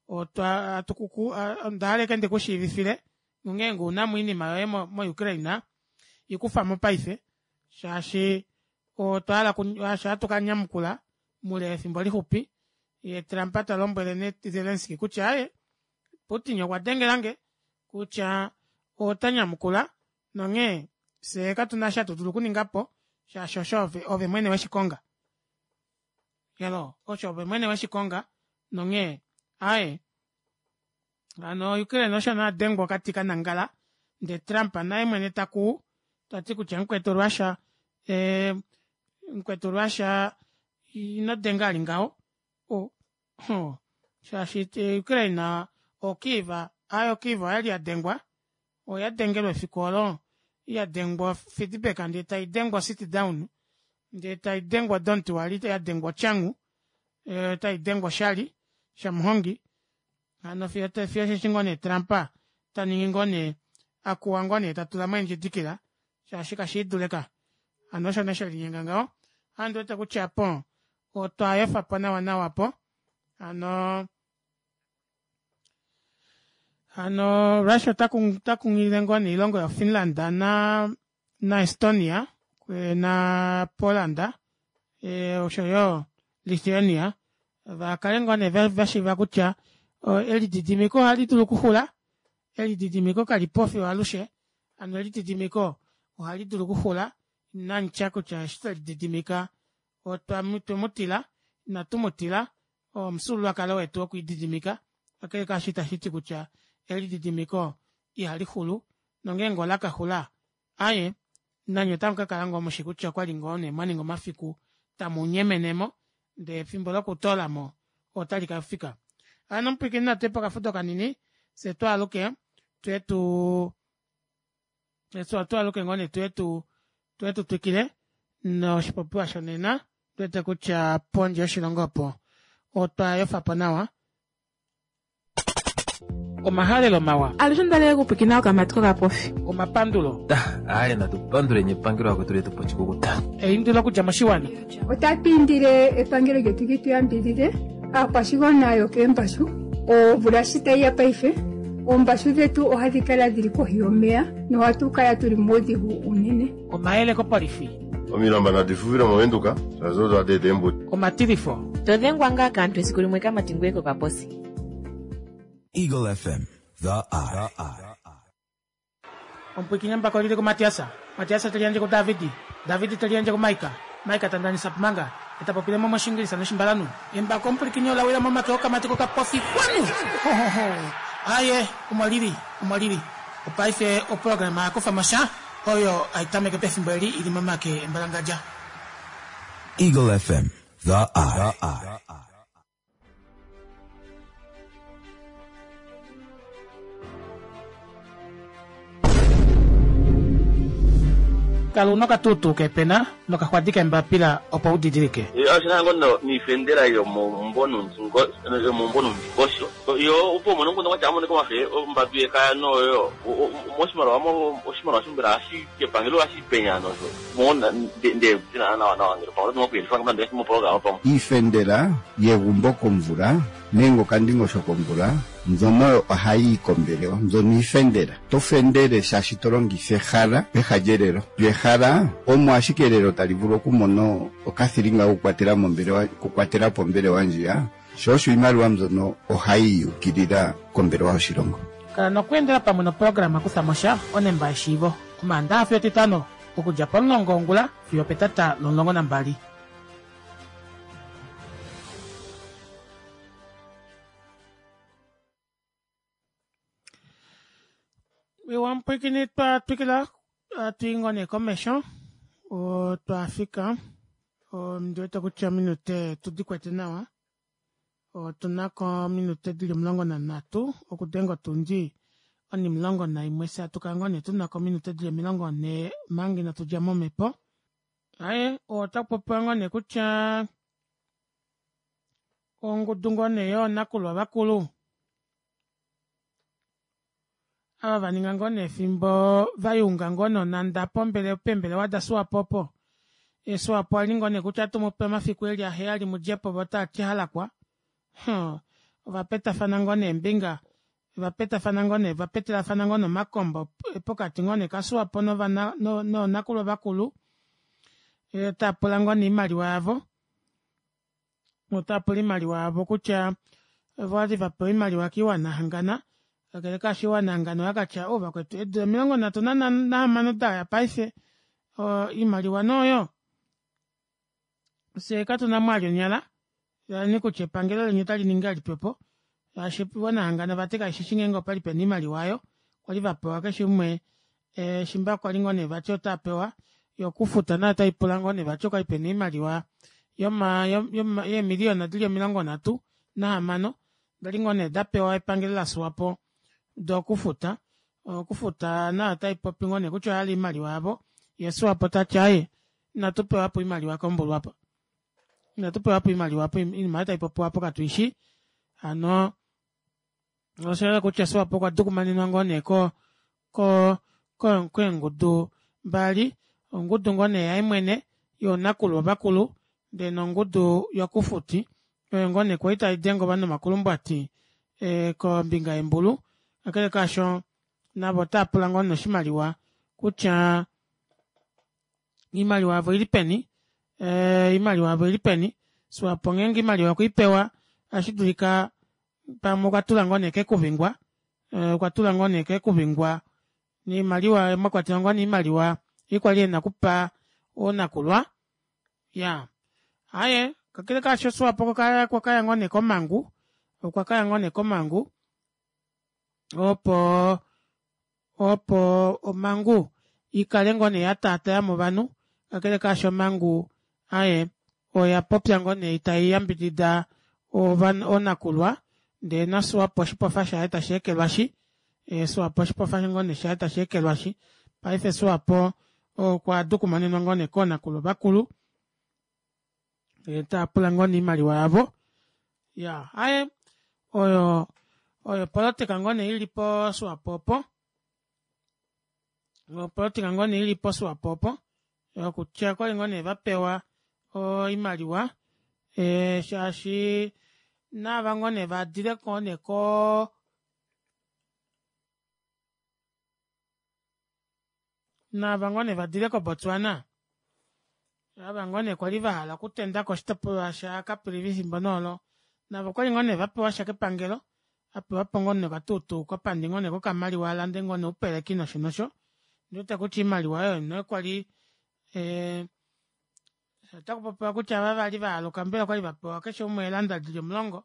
otwa atukuku onda hala ashike ndikushiivifile nongeenge ounamo oinima yoye mo Ukraine ikufamo paife shaashi otwa hala shaashi ohatu kanyamukula moule wefimbo lixupi ye Trump talombwele nee Zelensky kutya aaye Putin okwa dengelange kutya ota nyamukula nonghee fyee katuna eshi hatu dulu okuningapo shaashi osho ove mwene weshikonga elo osho ove mwene weshikonga nonghee aaye hano Ukraine osho nee adengwa okati kanangala ndee Trump naye mwene takuu tati kutya mukwetu Russia mukwetu Russia ino denga ali ngaho shaashi Ukraine o Kiev aaye o Kiev oyali yadengwa oya dengelwa efiku olo yadengwa feedback ndee taidengwa sit down ndee taidengwa don't worry yadengwa ochangu taidengwa oshali shamuhongi hano fiyo osheshi ngoo nee Trump taningi ngoo nee akuwa ngoo nee tatulamo eendjidikila shaashi kashiidule ka hano osho nee shelinyenga ngaho ohandi wete kutya apo otwa efapo nawa nawa apo hano hano Russia ota kunghilile ngoo nee oilongo yo Finland na na Estonia na Poland oshoyo Lithuania vakale ngoo nee vashiiva kutya elididimiko ohali dulu okuxula elididimiko kalipo fiyo alushe hano elididimiko ohali dulu okuxula inamutya kutya eshi twelididimika otwemutila inatu mutila oo omufyuululwakalo wetu wokwiididimika kakele kaasho itashiti kutya elididimiko. Ihali xulu nongeenge ola ka xula aaye nanye otamu ka kala ngoo mushi kutya okwali ngoo nee mwa ninga omafiku tamu nyemenemo ndee efimbo lokutoolamo otali ka fika. Hano omupwiikini natu ye pokafudo kanini fye twaaluke tuye tu twaaluke ngoo nee tuye tu tuye tu twikile noshipopiwa shonena tuwete kutya pondje yoshilongo opo otwa yofapo nawa Omahalelo mawa. Alushe onda okupwikina okamati kokapofi. Omapandulo. Aye natu panduleni epangelo akwetu letu pochikukuta. Eindilo okudja moshiwana. Otatu indile epangelo lyetu li tu yambidhidhe aakwashigwana yokeembashu. Omvula shi tayi ya paife, oombashu dhetu ohadhi kala dhili kohi yomeya nohatu kala tuli muudhigu uunene. Omayele kopolifi. Omilamba nadi fufile mOvenduka, shaashi odo hadi eta eembudi. Omatilifo. To dhengwa ngaa kaantu esiku limwe kamati ngoye kokaposi. Eagle FM, the eye. Omupwiikini embako olili kuMatiasa, Matiasa te liyandje kuDavidi, Davidi te liyandje kuMaika, Maika ta ndanisa Pumanga, e ta popile mo mOshingilisa nOshimbalanhu. Embako omupwilikini ola wila momake okamati kokapofi kwanu! Hohoho! Aaye, omo lili, omo lili. Opaife oprograma ya kufa mo sha, oyo hai tameke pefimbo eli i li momake embalangadja. Eagle FM, the eye. Kala u na okatuutuu keepena nokaxwadi keembapila opo u didilike. Oshi na ngoo noifendela yomomumbo noundingosho yo opo umone omukundu kwatya amonike omafe ombadu yekaya noyo moshimaliwa oshimaliwa mbela ohashi kepangelo ohashi penya nosho nde nawa nawa ngele pamwe oto nokuyelifa moprograma pamwe. Iifendela yegumbo komvula nenge okandingosho komvula mbyono ohayi yi kombelewa mbyono iifendela. To fendele shaashi to longitha ehala peha lyelelo. Lyo ehala omo ashike elelo tali vulu okumona okathilinga kokukwatela mombelewa okukwatela po ombelewa ndjiya, sho osho iimaliwa mbyono ohayi yukilila kombelewa yoshilongo. Kala nokweendela pamwe noprograma Kutha mo sha onemba yeshiivo Omaandaxa fiyo Etitano okudja pomulongo wongula fiyo opetata lomulongo nambali. Iwa mupwiikini twa twikila hatu i ngoo nee komesho otwa fika ondi wete kutya ominute tu di kwete nawa otu na ko ominute di li 13 okudenga otundi onimulongo naimwe fye atu kala ngoo nee tu na ko ominute di li 40 omanga inatu dja momhepo aye otaku popiwa ngoo nee kutya ongudu ngoo nee yoonakulwa vakulu ava va ninga ngoo nee efimbo va yunga ngoo nonanda pombele pembelewa daSwapo opo Swapo ali ngoo nee kutya atu mupe omafiku eli aheyali mudjepo vo taa ti halakwa huh, ova petafana ngoo nee eembinga va petafana ngoo nee va petelafana ngoo nee omakombo pokati ngoo nee kaSwapo novana noonakulwa vakulu e, taa pula ngoo nee oimaliwa yavo Otava pula oimaliwa yavo kutya ova li va pewa oimaliwa kiiwana hangana kakele kaasho iiwana hangana oya ka tya o vakwetu eedula 36 da ya paife oimaliwa nooyo fye katu na mwali onyala yani kutya epangelo leni otali ningi ngahelipi opo shaashi iiwana hangana vati kaishi shi ngeenge opali pena oimaliwa oyo kwali va pewa keshe umwe shimba kwali ngoo nee vati otava pewa yo okufuta nayo otai pula ngoo nee vati okwali pena oimaliwa yoma yoma yeemiliyona dili 36 dali ngoo nee da pewa epangelo laSwapo dokufuta okufuta nayo otai popi ngoo nee kutya oya hala oimaliwa yavo ye Swapo tati aaye inatu pewa po oimaliwa kombulu apa inatu pewa po oimaliwa apo oinima oyo tai popiwa apo katuishi hano Osha yela kutya Swapo okwa dukumanenwa ngoo nee ko ko ko keengudu mbali, ongudu ngoo nee yaye mwene yoonakulu ovakulu ndee nongudu yokufuti oyo ngoo nee kwali tai denge ovanhu omakulumbwati e, kombinga yembulu. Kakele kaasho navo otava pula ngoo nee oshimaliwa kutya iimaliwa yavo ili peni e, iimaliwa yavo ili peni. Swapo ngeenge iimaliwa okwe i pewa ohashi dulika pamwe okwa tula ngoo nee kekuvingwa eh, okwa tula ngoo nee kekuvingwa niimaliwa mwa kwatelwa ngoo niimaliwa ei kwali ena okupa oonakulwa ya aye kakele kaasho Swapo okwa kaya ngoo nee komangu okwa kaya ngoo nee komangu opo. Opo omangu ikale ngoo nee yataatayamo ovanhu kakele kaasho omangu aaye oya popya ngoo nee taiyambidida oonakulwa ndee naSwapo oshipofa shaye tasheekelwashi Swapo oshipofa ngoo nee shaye tasheekelwashi paife Swapo okwa dukumanenwa ngoo nee koonakulwa vakulu taapula ngoo nee oimaliwa yavo iyaa aaye oyo opolitika ngoo nee ili poswapo opo opolitika ngoo nee ili poswapo opo okutya okwali ngoo nee vapewa oimaliwa shaashi naava ngoo nee vadile ngoo nee koo naava ngoo nee vadile koBotswana ava ngoo nee kwali vahala okutenda koshitopolwa shaCaprivi efimbo nee olo navo okwali ngoo nee vapewasha kepangelo apewapo ngoo nee okatuutuu kopandi ngoo nee kokamaliwa alande ngoo nee oupeleki nosho nosho ondiwete kutya oimaliwa oyo nee kwali otakupopiwa kutya ava vali vaaluka mbela okwali vapewa keshe umwe eelanda dili 10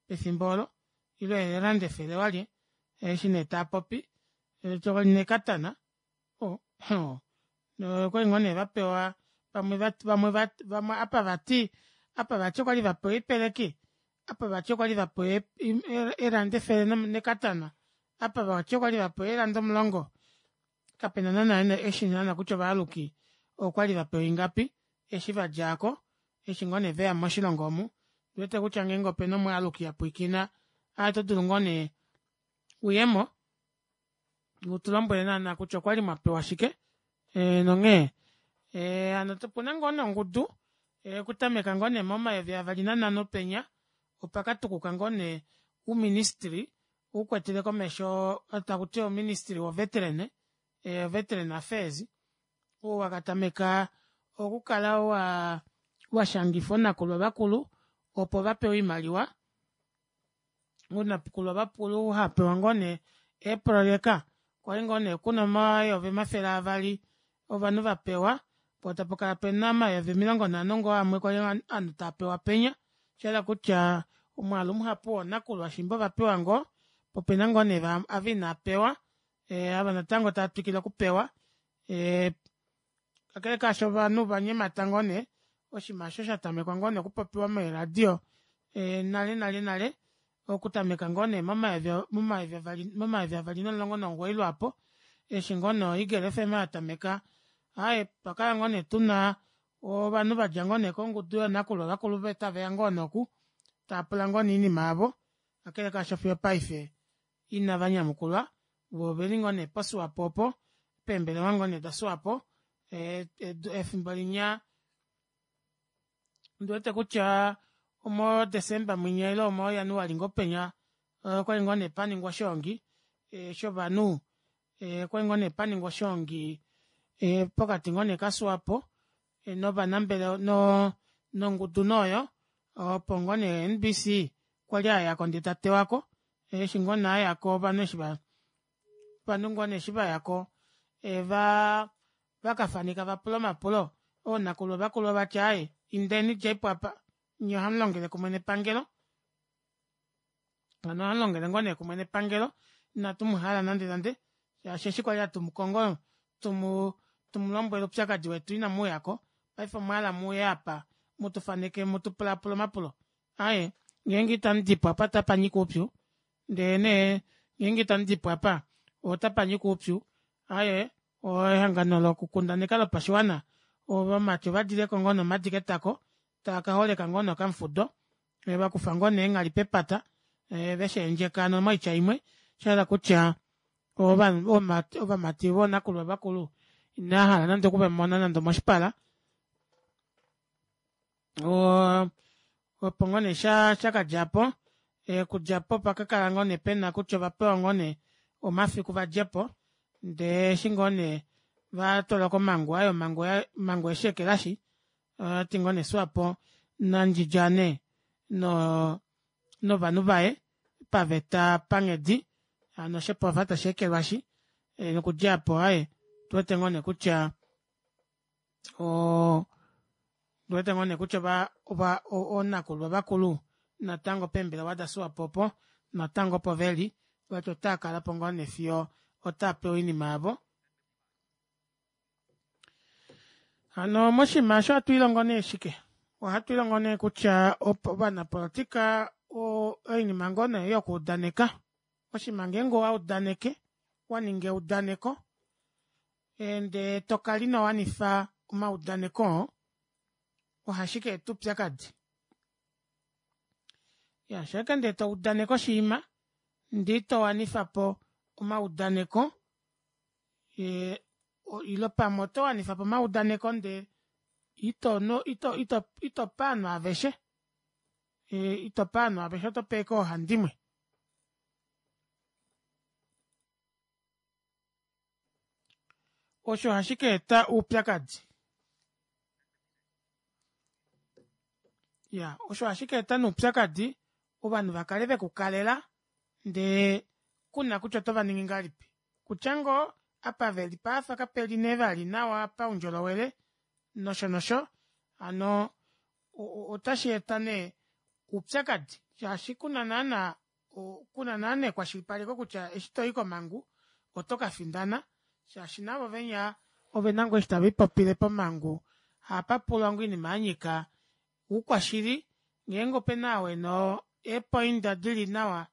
pefimbo olo ile eelanda 100 walye eshi nee taapopi nekatana okwali ngoo nee vapewa vamwe vamwe apa vati apa vati okwali vapewa oipeleki apa vati okwali vapewa eelanda 100 nekatana apa vati okwali vapewa eelanda 10 kapena naana eshi naana kutya ovaaluki okwali vapewa ingapi eshi vadjako eshi ngoo nee veya moshilongo omu ondiwete kutya ngeenge opena omwaaluki apwiikina oto dulu ngoo nee uyemo utulombwele naana kutya okwali mwapewa shike nonghee hano opuna ngoo nee ongudu okutameka ngoo nee mo2005 penya opakatukuka ngoo nee ouministry ukwetele komesho takuti ouministry wo veteran veteran affairs oo wakatameka okukala washangifa oonakulwa vakulu opo vapewe oimaliwa oonakulwa vakulu hapewa ngoo nee eeprojeka kwali ngoo nee kuna 200,000 ovanhu vapewa poo tapakala pena 50,000 ngoo amwe kwali ovanhu taapewa penya oshahala kutya omwaalu muhapu woonakulwa shimba ovapewa ngoo poo opena ngoo nee ava inaapewa ava natango taatwikile okupewa kakele kaasho ovanhu ovanyemata ngoo nee oshinima aasho shatamekwa ngoo nee okupopiwa meeradio nale nale nale okutameka ngoo nee mo2019 lwaapo eshi ngoo nee Eagle FM yatameka aaye otwakala ngoo nee tuna ovanhu vadja ngoo nee kongudu yoonakulwa vakulu taveya ngoo nee oku taapula ngoo nee oinima yavo kakele kaasho fiyo opaife ina vanyamukulwa voo oveli ngoo nee poswapo opo peembelewa ngoo nee daSwapo efimbo linya ondiwete kutya omo December mwinya ile omo January ngoo penya okwali ngoo nee paningwa oshoongi shovanhu okwali ngoo nee paningwa oshoongi pokati ngoo nee kaSwapo novanambelewa nongudu nee oyo opo ngoo nee NBC kwali ayako ndee tatewako eshi ngoo nee ayako ovanhu eshi ovanhu ngoo nee eshi vayako vakafaneka vapula omapulo oonakulwa vakulu ovati aaye indeni djeipo apa nyee ohamulongele kumwe nepangelo hano ohamulongele ngoo nee kumwe nepangelo inatu muhala nande nande shaashi eshi kwali hatu mukongo tumulombwele oupyakadi wetu inamuuyako paife omwahala muuye apa mutufaneke mutupulaapule omapulo aaye ngeenge itamudipo apa otapanyika oupyu ndee nee ngeenge itamudipo apa otapanyika oupyu aaye ehangano lokukundaneka lopashiwana ovamati ovadileko ngoo nomadi ketako taakaholeka ngoo nee okamufudo vakufa ngoo nee eenghali pepata vesheendjeka hano moitya imwe oshahala kutya ovamati voonakulwa vakulu inahala nande okuvamona nande omoshipala opo ngoo nee shakadjapo okudjapo opakakala ngoo nee pena kutya ovapewa ngoo nee omafiku vadjepo ndee eshi ngoo nee vatwalwa komangu aaye omhangu oyesheekelashi oyati ngoo nee Swapo nandjidjane novanhu vaye paveta panghedi hano oshipofa tasheekelwashi nokudja aapo aaye otuwete ngoo nee kutya otuwete ngoo nee kutya oonakulwa vakulu natango peembelewa daSwapo opo natango opo veli vati otaakalapo ngoo nee fiyo. Otaa pewa oinima yavo. Hano moshinima osho ohatu ilongo nee shike? Ohatu ilongo nee kutya ovanapolotika oinima ngoo nee yokuudaneka. Oshinima ngeenge owa udaneke, wa ninga eudaneko ndee tokala ino wanifa omaudaneko oo, ohashi ka eta oupyakadi. Iyaa shaike ndee toudaneke oshiima ndee ito wanifapo omaudaneko ile pamwe oto wanifapo omaudaneko ndee ito ito itope ovanhu aveshe itope ovanhu aveshe otope ashike oohandimwe. Osho ohashi kaeta oupyakadi. Iyaa osho ohashi kaeta nee oupyakadi ovanhu vakale vekukalela ndee kuna kutya oto vaningi ngahelipi. Kutya ngoo apa veli paafa kapeli nee vali nawa paundjolowele nosho nosho hano otashi eta nee oupyakadi shaashi kuna naana kuna naana ekwashilipaleko kutya eshi toyi komangu oto kafindana shaashi navo venya ovena ngoo eshi taviipopile pomangu ohapapulwa ngoo oinima yanyika oukwashili ngeenge opena ou ena eepoinda dili nawa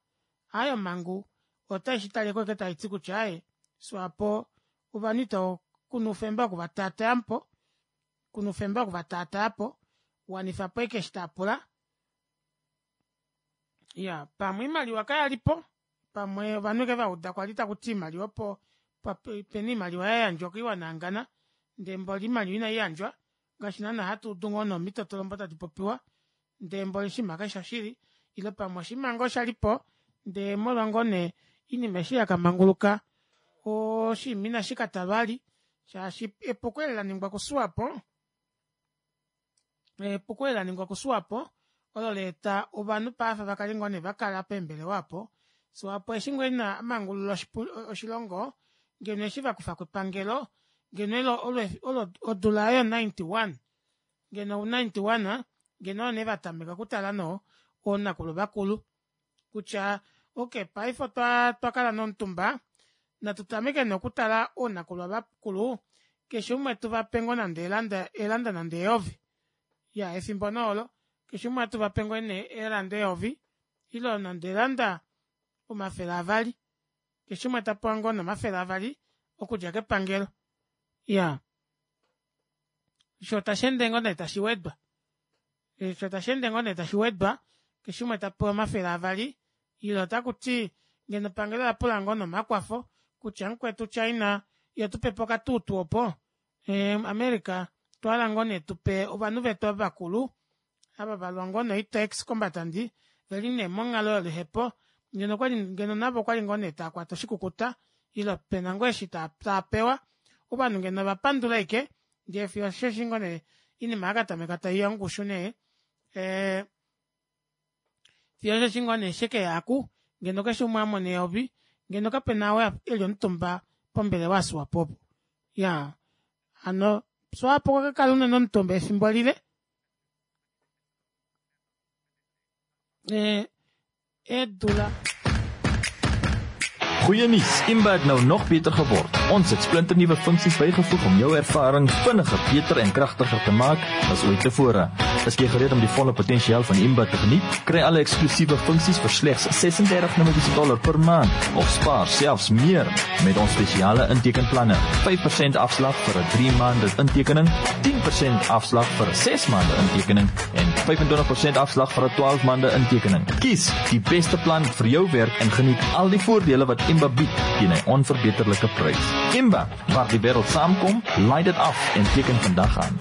aaye omangu otaishitaleko ashike taiti kutya aaye swapo ovanhu ito kuna oufemba woku vatatayapo kuna oufemba woku vatatayapo wanifapo ashike eshi taapula iyaa pamwe oimaliwa kayalipo pamwe ovanhu ashike vauda kwali takuti oimaliwa opo pena oimaliwa yayandjwa koiwana yahangana ndee mboli oimaliwa inaiyandjwa ngaashi naana hatuudu ngoo nee omitotolombo tadi popiwa ndee mboli oshinima kashifi shoshili ile pamwe oshinima ngoo shalipo ndee molwa ngoo nee oinima eshi yakamanguluka oshinima ina shikatalwa vali shaashi epuko eli laningwa kuswapo epuko eli laningwa kuswapo olo laeta ovanhu paife vakale ngoo nee vakala peembelewa aapo swapo eshi ngoo ina amangulula oshilongo ngeno eshi vakufako epangelo ngeno olo odula aayo 91 ngeno u 91 ngeno oyo nee vatameka okutala noo oonakulwa vakulu kutya okey paife otwakala nee omutumba natu tameke nee okutala oonakulwa vakulu keshe umwe tuvape ngoo nande eelanda nande eyovi iyaa efimbo nee olo keshe umwe atuvape ngoo nee eelanda eyovi ile nande eelanda 200 keshe umwe tapewa ngoo nee 200 okudja kepangelo iyaa shoo tasheende ngoo nee tashi wedwa shoo tasheende ngoo nee tashi wedwa keshe umwe tapewa 200 ile otakuti ngeno epangelo olapula ngoo nee omakwafo kutya mukwetu china yetupepo okatuutu opo america otwahala ngoo nee tupe ovanhu vetu ava vakulu ava valwa ngoo noita ex combatant veli nee monghalo yoluhepo ngeno okwali ngeno navo okwali ngoo nee taakwata oshikukuta ile pena ngoo eshi taapewa ovanhu ngeno ovapandula ashike ndee fiyo osheshi ngoo nee oinima yakatameka taiya ongushu nee fiyo osheshi ngoo nee shekeya aku ngeno keshe umwe amona eyovi ngeno kapena ou eli omutumba pombelewa yaSwapo opo iyaa hano Swapo okwa kakala unene omutumba efimbo lile eedula Goeie nuus, Imba het nou nog beter geword. Ons het splinternuwe funksies bygevoeg om jou ervaring vinniger, beter en kragtiger te maak as ooit tevore. Is jy gereed om die volle potensiaal van Imba te geniet? Kry alle eksklusiewe funksies vir slegs 36 Namibiese dollar per maand of spaar selfs meer met ons spesiale intekenplanne. 5% afslag vir 'n 3 maande intekening, 10% afslag vir 'n 6 maande intekening en 25% afslag vir 'n 12 maande intekening. Kies die beste plan vir jou werk en geniet al die voordele wat Imba bied teen 'n onverbeterlike prys. Imba, waar die wêreld saamkom, laai dit af en teken vandag aan.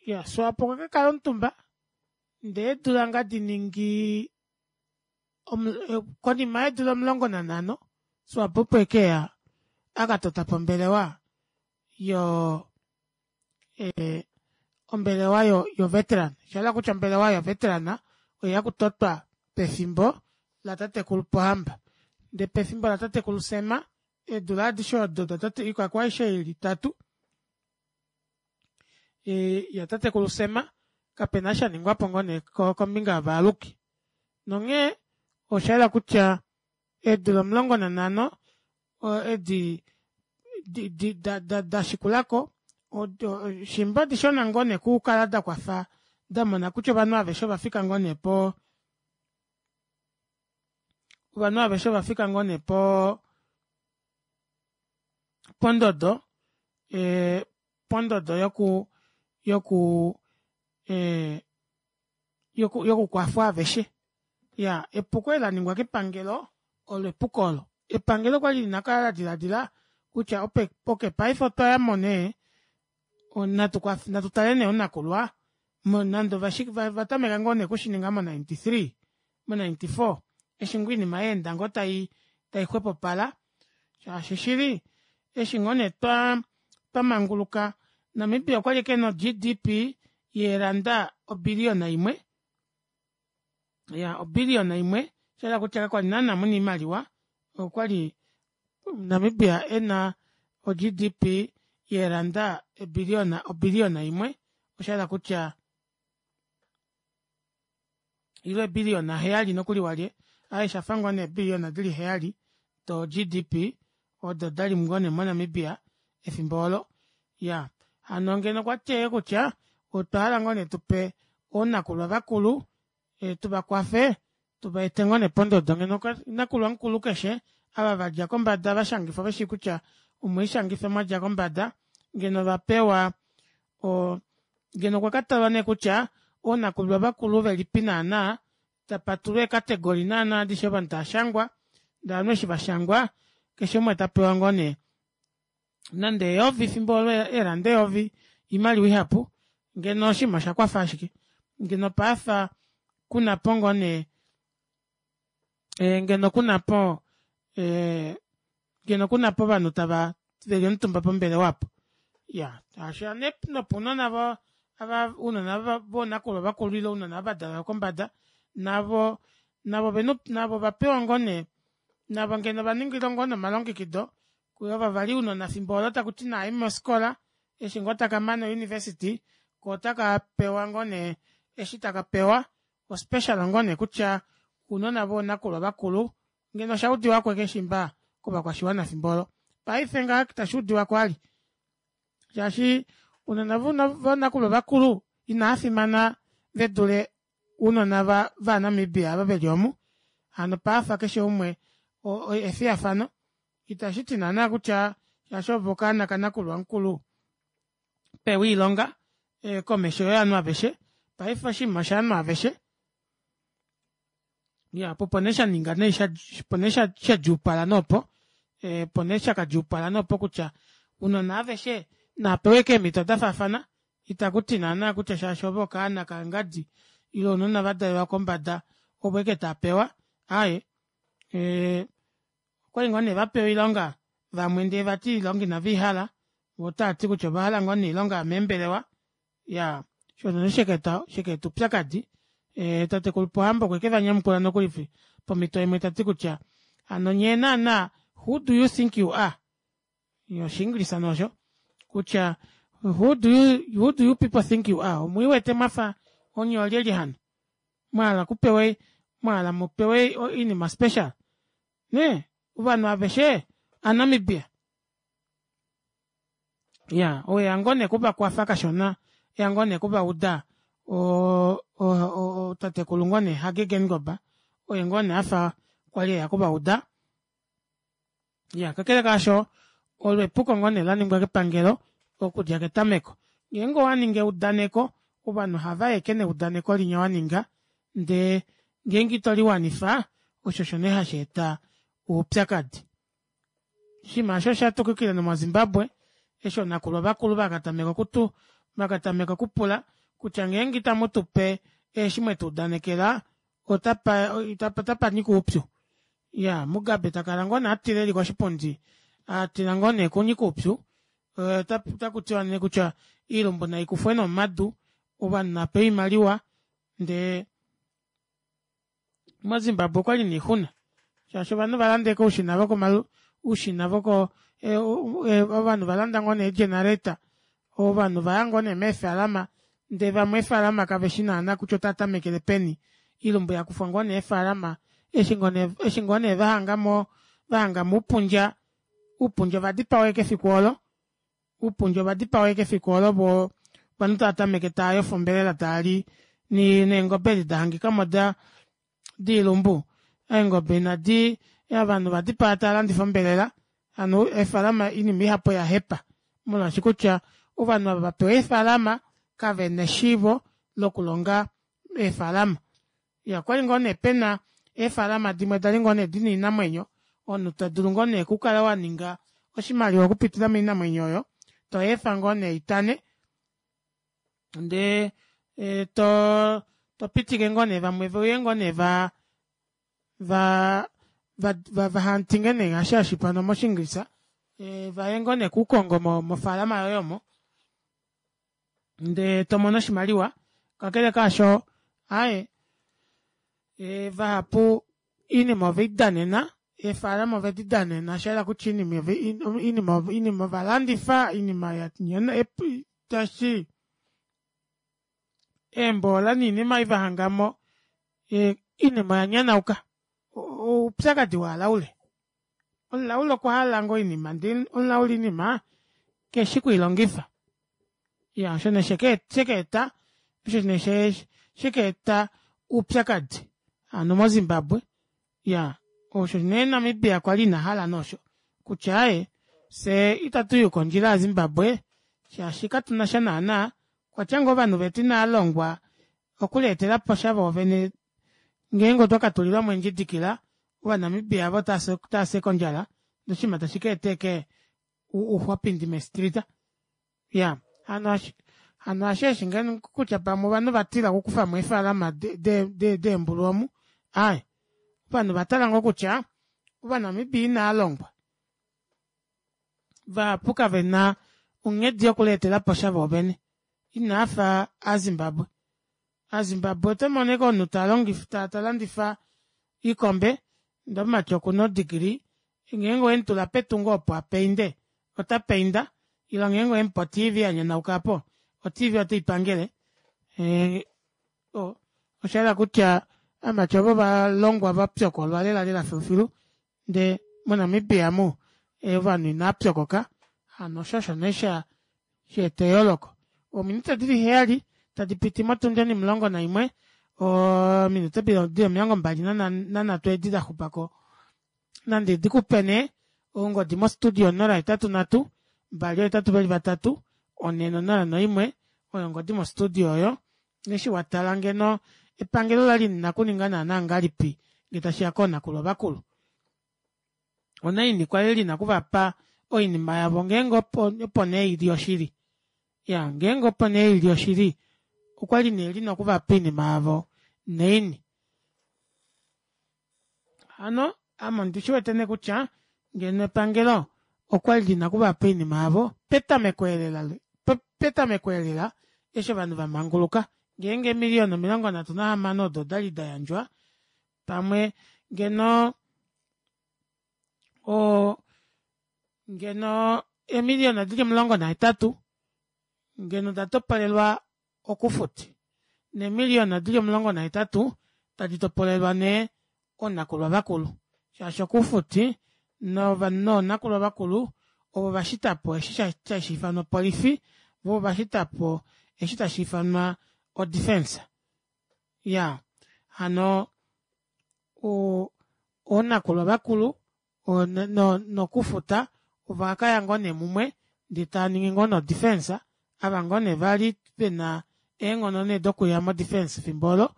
Ya, Swapo okwa kakala omutumba ndee eedula nga diningi konima yeedula 15 Swapo opo ekeya akatotapo ombelewa yo ombelewa yo veteran oshahala kutya ombelewa yo veteran oyeya okutotwa pefimbo latatekulu Pohamba ndee pefimbo latatekulu Sam eedula adishe odo datate oikako aishe ili itatu yatatekulu Sam kapena eshi shaningwapo ngoo nee kombinga yovaaluki nonghee oshayela kutya. Eedula 15 edi dashikulako shimba odishona ngoo nee okukala dakwafa damona kutya ovanhu aveshe ovafika ngoo nee poo ovanhu aveshe ovafika ngoo nee poo pondodo pondodo yoku yoku yokukwafwa aveshe. Iyaa epuko eli laningwa kepangelo olo epuko oolo. Epangelo okwali lina okukala ladilaadila kutya okey paife otwayamo nee natu tale nee oonakulwa nande ovatameka ngoo nee okushininga mo 93 mo 94 eshi ngoo oinima yaenda ngoo taixwepopala shaashi shili eshi ngoo nee twamanguluka Namibia okwali ashike ena o gdp yeeranda obillion imwe iyaa obillion imwe oshahala kutya kakwali naana muna oimaliwa okwali Namibia ena o gdp yeeranda obillion imwe oshahala kutya ile eebillion heyali nokuli walye aaye oshafa ngoo nee eebillion dili heyali do gdp odo dali ngoo nee mo namibia efimbo oolo iyaa hano ngeno okwati ashike kutya otwahala ngoo nee tupe oonakulwa vakulu tuvakwafe tuvaete ngoo nee pondodo ngeno nakulwa mukulu keshe ava vadja kombada vashangifwa veshi kutya omwelishangifa mwadja kombada ngeno ovapewa oo ngeno okwa katalwa nee kutya oonakulwa vakulu velipi naana tapatulwa ee category naana adishe ovanhu tavashangwa ndee ovanhu eshi vashangwa keshe umwe tapewa ngoo nee nande eyovi efimbo olo eelanda eyovi oimaliwa ihapu ngeno oshinima oshakwafa ashike ngeno opafa kunapo ngoo nee ngeno kunapo ngeno kunapo ovanhu tava veli omutumba pombelewa aapo iyaa shaashi nopounona ava ounona voonakulwa vakulu ile ounona ava vadalelwa kombada navo navo navo ovapewa ngoo nee navo ngeno ovaningilwa ngoo nee omalongekido ova vali ounona efimbo oolo takuti naaye mofikola eshi ngoo takamane o university koo otakapewa ngoo nee eshi takapewa o special ngoo nee kutya ounona voonakulwa vakulu ngeno oshaudiwako ashike shimba kovakwashiwana efimbo olo paife ngaha itashuudiwako vali shaashi ounona voonakulwa vakulu inavafimana vedule ounona va namibia ava veli omu hano pafa keshe umwe efiyafano itashiti naana kutya shaashi ove okaana kanakulwa mukulu pewa oilonga komesho yovanhu aveshe paife oshinima oshovanhu aveshe iyaa opo nee shaninga nee opo nee shadjuupala nee opo opo nee shakadjuupala nee opo kutya ounona aveshe naapewe ashike eemito dafaafana itakuti naana kutya shaashi ove okaana kangadi ile ounona vadalelwa kombada ovo ashike taapewa aaye okwali ngoo nee vapewa oilonga vamwe ndee vati oilonga inaveihala voo otaati kutya ovahala ngoo nee oilonga yomeembelewa iyaa osho nee shakaeta oupyakadi tatekulu pohamba okweke vanyamukula nokuli pomito imwe tati kutya hano nyee naana who do you think you are oshiingilisa nee osho kutya who do you, who do you people think you are omwiiwete mwafa onye olyelye hano mwahala kupewe mwahala mupewe oinima special nee ovanhu aveshe anamibia ya oweya ngoo nee okuvakwafa kashona eya ngoo nee okuvauda tatekulu ngoo nee Hage Geingob oye ngoo nee afa kwali eya okuvauda ya kakele kaasho olo epuko ngoo nee laningwa kepangelo okudja ketameko ngeenge owaningi eudaneko ovanhu ohava ashike neudaneko linya waninga ndee ngeenge ito liwanifa osho osho nee hasheeta oupyakadi Oshinima osho osha tukukile nomoZimbabwe eshi oonakulwa vakulu vakatameka okutu vakatameka okupula kutya ngeenge itamu tu pe eshi mwetu udanekela otapa otapa nyika oupyu. Iyaa Mugabe takala ngoo nee atila eli koshipundi atila ngoo nee kunyika oupyu otakutiwa nee kutya oilumbu naikufwe nee omadu ovanhu navapewe oimaliwa ndee mozimbabwe okwali noixuna shaashi ovanhu valanda ashike oushina vokomalu oushina voko ovanhu valanda ngoo nee ee generator ovanhu vaya ngoo nee meefalama ndee vamwe eefalama kaveshi naana kutya otava tamekele peni oilumbu yakufwa ngoo nee eefalama. Eshi ngoo nee eshi ngoo nee vahangamo vahangamo uupundja, uupundja ovadipawa ashike efiku oolo uupundja ovadipawa ashike efiku oolo voo ovanhu tava tameke taayofa ombelela taali neengobe edi dahangikamo diilumbu eengobe inadi ovanhu ovadipaa taalandifa ombelela hano eefalama oinima ihapu oyahepa molwaashi kutya ovanhu ava vapewa eefalama kavena eshiivo lokulonga eefalama. Iyaa okwali ngoo nee pena eefalama dimwe dali ngoo nee dina oinamwenyo omunhu todulu ngoo nee okukala waninga oshimaliwa okupitila moinamwenyo oyo toyeefa ngoo nee itane ndee too topitike ngoo nee vamwe veuye ngoo nee va va vahantinge nee ngaashi hashiifanwa moshingilisa vaye ngoo nee kuukongo mofaalama yoye omo ndee tomono oshimaliwa kakele kaasho aaye vahapu oinima oveidanena eefalama ovedi danena shayela kutya oinima oinima ovalandifa oinima tashiti eemboola noinima ei vahangamo oinima oyanyanauka oupyakadi walaule omulaule okwahala ngoo oinima ndee omulaule oinima keshi kwiilongifa iyaa osho nee shekaeta osho nee shekaeta oupyakadi hano mo zimbabwe iyaa osho nee namibia kwali ina hala nee osho kutya aaye fyee itatuyi kondjila ya zimbabwe shaashi katunasha naana okwatya ngoo ovanhu vetu inaalongwa okuleetelaposha voovene ngeenge otwa katulilwamo eendjidikila ovanamibia ava otaafye kondjala noshinima tashi kaeta ashike ouxwapindi meestrita iyaa hano hano hasheeshi ngeno kutya pamwe ovanhu vatila okukufamo eefalama deembulu omu aaye ovanhu ovatala ngoo kutya ovanamibia inaalongwa vahapu kavena onghedi yokuleetelaposha voovene inaafa aazimbabwe Aazimbabwe oto mono ashike omunhu ta longifa ta landifa oikombe ndee omumati okuna odegree ngeenge owemutula petungo opo apainde ota painda ile ngeenge owemupe o tv yanyanauka aapo o tv oteipangele oshayela kutya ovamati ovo ovalongwa vapyokolwa lela lela filufilu ndee mo Namibia omu ovanhu inavapyokoka hano osho osho nee sha shaeta eyooloko. Ominute dili heyali tadi piti motundi onimulongo naimwe ominute dili omilongo mbali nanhatu edi daxupako nandi dikupe nee ongodi mo studio 083 2 8 4 0 1 oyo ongodi mo studio oyo eshi watala ngeno epangelo olali lina okuninga naana ngahelipi ngee tashiya koonakulwa vakulu onaini kwali lina okuvapa oinima yavo ngeenge opo nee ili oshili ya ngeenge opo nee ili oshili okwali nee lina okuvapa oinima yavo naini hano ame ondi shiwete nee kutya ngeno epangelo okwali lina okuvapa oinima yavo petameko elela petameko elela eshi ovanhu vamanguluka ngeenge eemiliyona 36 odo odali dayandjwa pamwe ngeno o ngeno eemiliyona dili 18 ngeno datopolelwa okufuti neemiliyona dili 18 tadi topolelwa nee oonakulwa vakulu shaashi okufuti noonakulwa vakulu ovo vashitapo eshi tashi ifanwa opolifi voo ovashitapo eshi tashi ifanwa o defence ya hano oonakulwa vakulu nokufuta ovakaya ngoo nee mumwe ndee taaningi ngoo nee o defence ava ngoo nee vali vena eenghono nee dokuya mo defence efimbo olo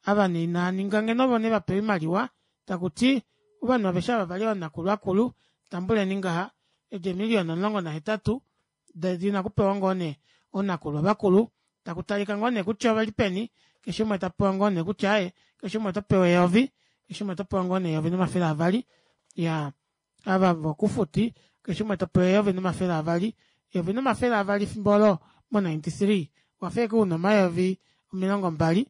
ava nee inaaninga ngeno ovo nee vapewa oimaliwa takuti ovanhu aveshe ava vali oonakulwa akulu tambuleni ngaha edi eemiliyona 18 dina okupewa ngoo nee oonakulwa vakulu taku talika ngoo nee kutya oveli peni keshe umwe tapewa ngoo nee kutya aaye keshe umwe oto pewa eyovi keshe umwe oto pewa ngoo nee eyovi nomafele avali ya ava vokufuti keshe umwe topewa eyovi nomafele avali eyovi nomafele avali fimbo olo mo 93 wafa ashike una omayovi 20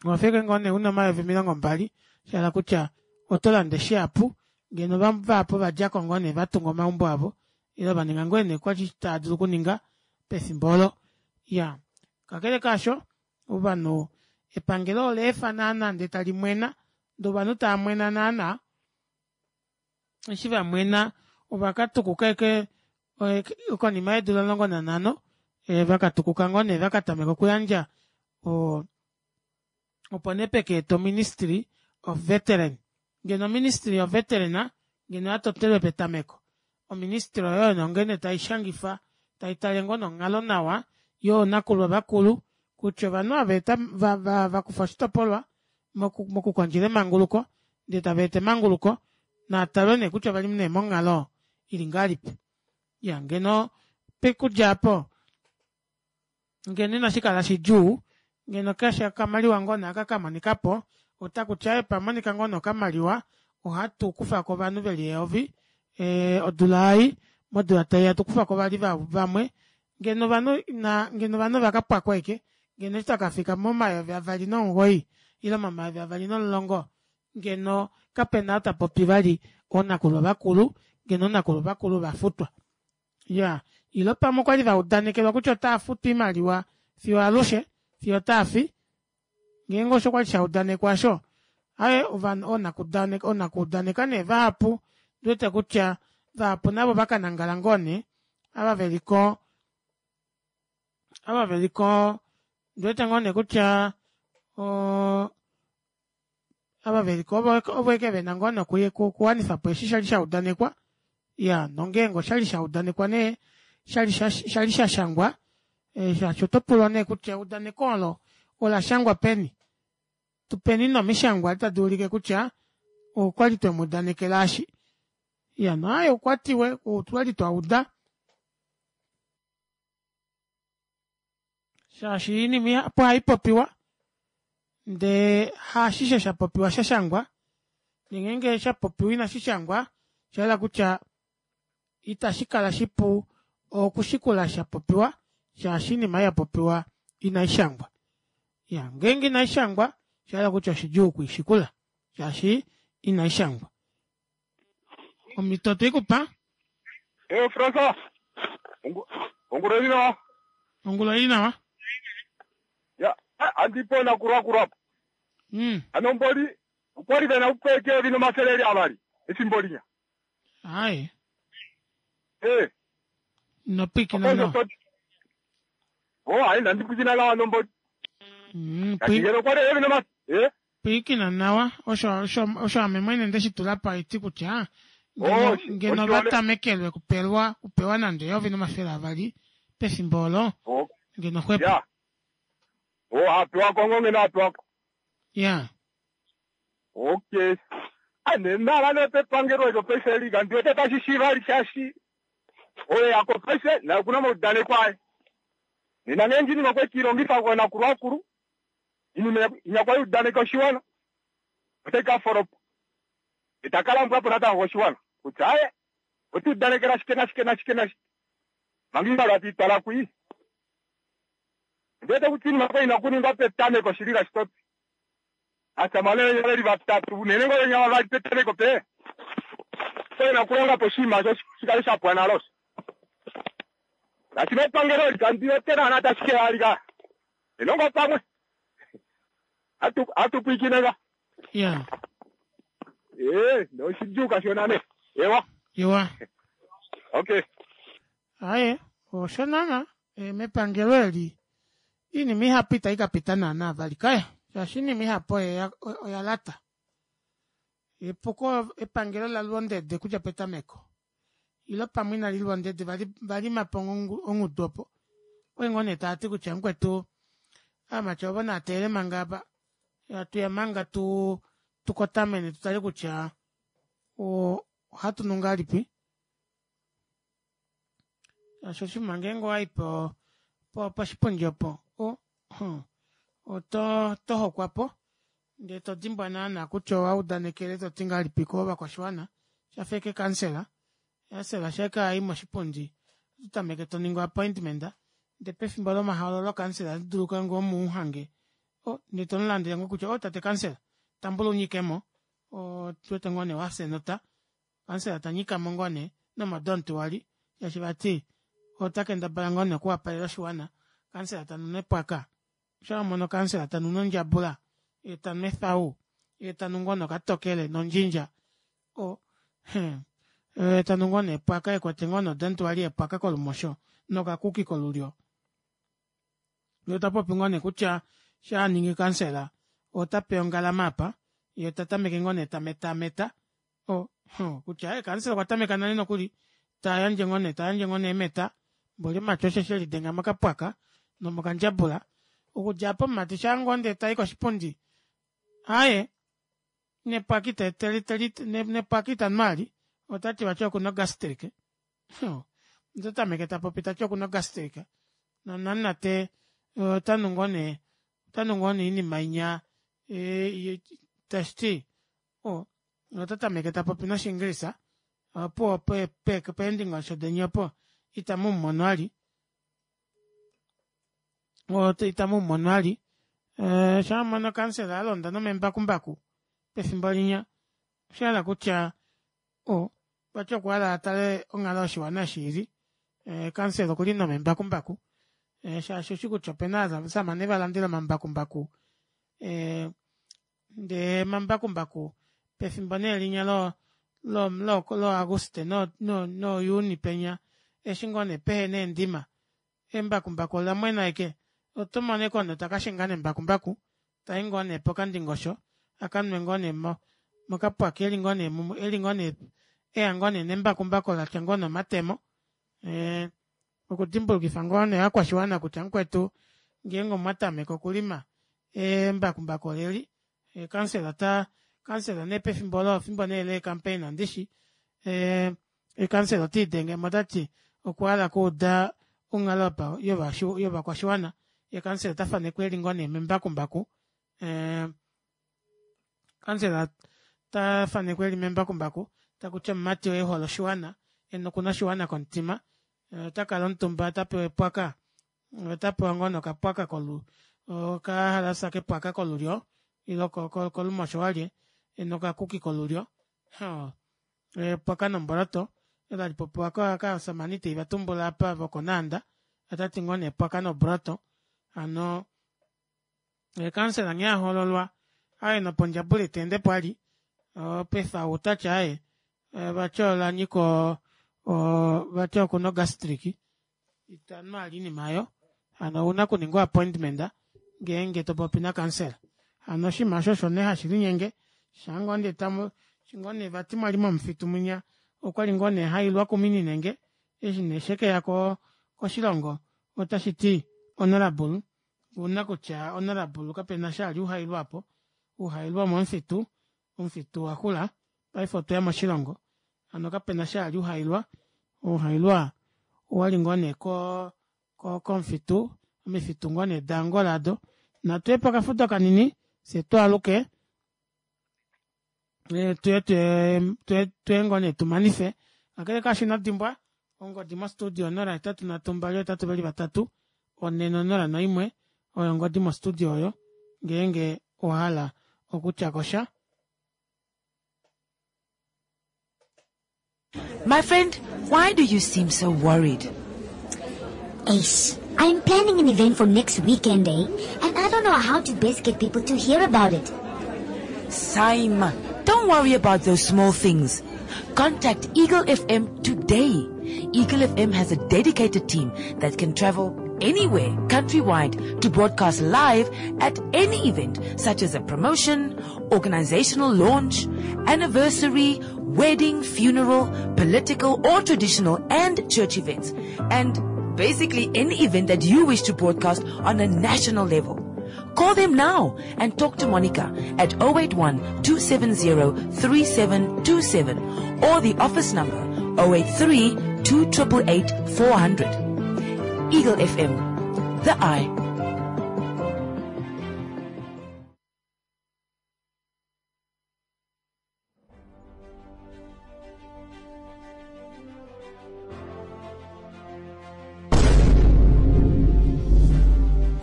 owa feke ngoo nee una omayovi 20 shahala kutya oto lande shihapu ngeno vahapu ovadjako ngoo nee vatunga omaumbo avo ile vaninga ngoo nee kwali tava dulu okuninga pefimbo olo ya kakele kaasho ovanhu epangelo ola efa naana ndee tali mwena. Ndee ovanhu taamwena naana, eshi vamwena ovakatukuka ashike konima yeedula 15 vakatukuka ngoo nee vakatameka okuyandja opo nee pekaetwa o ministry of veteran. Ngeno o ministry of veteran ngeno oyatotelwe petameko o ministry oyo oyo nee ngeno taishangifa taitale ngoo nee onghalo nawa yoonakulwa vakulu kutya ovanhu ava vakufa oshitopolwa mokukondjela emanguluko ndee tavaeta emanguluko naatalwe nee kutya ovali nee monghalo ili ngahelipi. Iyaa ngeno pokudja aapo ngeno inashikala shidjuu ngeno keshe okamaliwa ngoo nee aka kamonikapo otakuti aaye pamonika ngoo nee okamaliwa ohatu kufako ovanhu veli eyovi odula ei modula taiya hatukufako vali vamwe ngeno ovanhu ina ngeno ovanhu ovakapwako ashike ngeno eshi twakafika momayovi avali nomugoyi ile momayovi avali nomulongo ngeno kapena ou tapopi vali oonakulwa vakulu ngeno oonakulwa vakulu ovafutwa. Iyaa ile pamwe okwali vaudanekelwa kutya otaafutwa oimaliwa fiyo alushe fiyo otaafi ngeenge osho kwali shaudanekwa aasho aaye ovanhu oonakuudaneka nee vahapu ondiwete kutya vahapu navo ovakanangala ngoo nee ava veliko ava veliko ondiwete ngoo nee kutya oo ava veliko ovo ashike vena ngoo nee okuwanifapo eshi shali shaudanekwa iyaa nongeenge oshali shaudanekwa nee shali shashangwa shaashi otopulwa nee kutya eudaneko oolo olashangwa peni tupeni nee omishangwa tadi ulike kutya okwali twemuudanekela eshi iya naaye okwatiwe otwali twauda shaashi oinima ihapu ohaipopiwa ndee haashishe shapopiwa shashangwa ngeenge shapopiwa inashishangwa oshahala kutya itashikala shipu okushikula shapopiwa shaashi oinima ei yapopiwa inaishangwa. Iyaa ngeenge inaishangwa oshahala kutya oshidjuu okwiishikula shaashi inaishangwa. Omhito otweikupa. Eh, Francois. Ongula ili nawa. Ongula ili nawa. Ya, andipona kurwa kurwa. Ano mboli okwali vena upeke evi nomafele eli avali efimbo linya. Ai. Eh. No pwikina nawa. Oh, ai nandi pwikina nawa nomboli. Kashingelo okwali evi noma eh. Pwiikina nawa osho osho osho ame mwene nde shi tula pa eti kutya ngeno, Oh, ngeno oshiwale- va tamekelwe kupelwa kupewa nande eyovi nomafele avali pefimbo olo Oh, ngeno xwepo. ya. Oh, apewa ko ngeno apewa ko. Ya. Okay. Ane nala nepepangelo elo paife eli kandi wete tashi shiiva li shaashi oye yako paife naye okuna omaudaneko aye. Nena ngeenge oinima okwe kiilongifa koonakulwa akulu, oinima inya kwali udaneka oshiwana otai ka folopa. Ita ka lambwa po natango koshiwana kutya aaye ota udanekela shike nashike nashike nashike manga oimaliwa tei twala kwii. Ondi wete kutya oinima oyo ina okuningwa petameko shili ngaashi toti Aasamane venya ve li vatatu, unene ngoo venya vavali petameko pe ve na okulonga po oshinima osho shi kale sha pwa nale osho. Ngaashi mepangelo eli kandi wete naana tashi ke ya lika. Enongo pamwe. Atu atu pwiikine nga. Ya. Ee, noshidjuu kashona ne. Ewa. Ewa. Okay. Aye, osho naana mepangelo eli iinima ihapu itayi ka pita naana vali kaya shaashi iinima ihapu oya lata. Epuko epangelo la lwa ondede okudja petameko ile pamwe inali lwa ondede valimapo ongudu opo okwali ngoo nee taati kutya mukwetu aamati ovo naateele manga apa hatuya manga tu tukotamene tutale kutya ohatu nu ngahelipi shaashi oshinima ngeenge owayi po poshipundi opo oto tohokwapo ndee todimbwa naana kutya owaudanekele toti ngahelipi kovakwashiwana shafa ashike kansela kansela shaike ayi moshipundi ototameke toningi appointment ndee pefimbo lomahoololo kansela otadulu ngoo umuhange ndee tomulandele ngoo kutya o tate kansela tambula unyikemo otuwete ngoo nee wafya enota kansela tanyikamo ngoo nee nomodonti wali shaashi vati ota kendabala ngoo nee okuwapalela oshiwana kansela tanu nepwaka osho wamono kansela tanu nondjabula yee tanu ethau. Yee tanu ngoo nee okatokele nondjindja o yee tanu ngoo nee epwaka ekwete ngoo nee odantuwali yepwaka kolumosho nokakuki kolulyo yee otapopi ngoo nee kutya shaaningi kansela otapeya ongalama aapa yee tatameke ngoo nee tametameta o kutya aaye kansela okwatameka nale nokuli tayandje ngoo nee eemeta mboli omumati osheshi elidenga mokapwaka nomokandjabula okudja aapo omumati shaangoo ndee tayi koshipundi aaye nepwaka nepwaka itanu vali otati vati okuna o gastric otatameke tapopi tati okuna o gastric nonamunate otanu ngoo nee oinima inya tashiti otatameke tapopi noshingilisha opuwo peendingosho deni opo itamuumono vali itamuumono vali shaa wamono kansela alonda nomembakumbaku pefimbo linya oshahala kutya vati okwahala atale onghalo yoshiwana eshi ili kansela okuli nomembakumbaku shaashi oushi kutya opena ovashamane valandele omambakumbaku ndee omambakumbaku pefimbo nee linya lo lo auguste no juni penya eshi ngoo nee pehena eendima embakumbaku olamwena ashike otomono ashike omunhu takashinga nembakumbaku tai ngoo nee pokandingosho akanwe ngoo nee mokapwaka eli ngoo nee eya ngoo nee nembakumbaku latya ngoo nee omatemo okudimbulukifa ngoo nee ovakwashiwana kutya mukwetu ngeenge omwatameke okulima embakumbaku oleli kansela taa kansela nee pefimbo olo efimbo nee lee campaign ndishi kansela otiidengemo tati okwahala okuuda onghalo yovakwashiwana yee kansela otafanekwa eli ngoo nee membakumbaku kansela tafanekwa eli membakumbaku takuti omumati oo ehole oshiwana nokuna oshiwana komutima otakala omutumba tapewa epwaka otapewa ngoo nee okapwaka okahalasa kepwaka kolulyo ile kolumosho walye nokakuki kolulyo epwaka nomboloto olo halipopiwa kovashamane ita ndivatumbula aapa vokonaanda otati ngoo nee epwaka nobroto hano kansela nghee ahoololwa aaye nopondjabula iteendepo vali paife ou otati aaye vati olanyika vati okuna o gastric itanu vali oinima aayo hano ouna okuninga o appointment ngeenge topopi nakansela hano oshinima aasho osho nee hashilinyenge shaangoo nee tamu eshi ngoo nee vati mwali momufitu mwinya okwali ngoo nee hailwa kumininenge eshi nee shekeya koshilongo otashiti honourable ouna kutya honourable kapena eshi ali uhailwa aapo uhailwa omomufitu omufitu owaxula paife otweya moshilongo hano kapena eshi ali uhailwa ouhailwa owali ngoo nee komufitu omifitu ngoo nee da Angola aado natuye pokafudo kanini fyee twaaluke tuye ngoo nee tumanife kakele kaasho inodimbwa ongodi mo studio 083 283 401 oyo ongodi mo studio oyo ngeenge owahala okutyakosha. My friend, why do you seem so worried? Ace, I'm planning an event for next weekend, eh? And I don't know how to best get people to hear about it. Saima, don't worry about those small things. Contact Eagle FM today. Eagle FM has a dedicated team that can travel anywhere countrywide to broadcast live at any event such as a promotion, organizational launch, anniversary, wedding, funeral, political or traditional and church events, and basically any event that you wish to broadcast on a national level. Call them now and talk to Monica at 081 270 3727 or the office number 083 288 400. Eagle FM, the eye.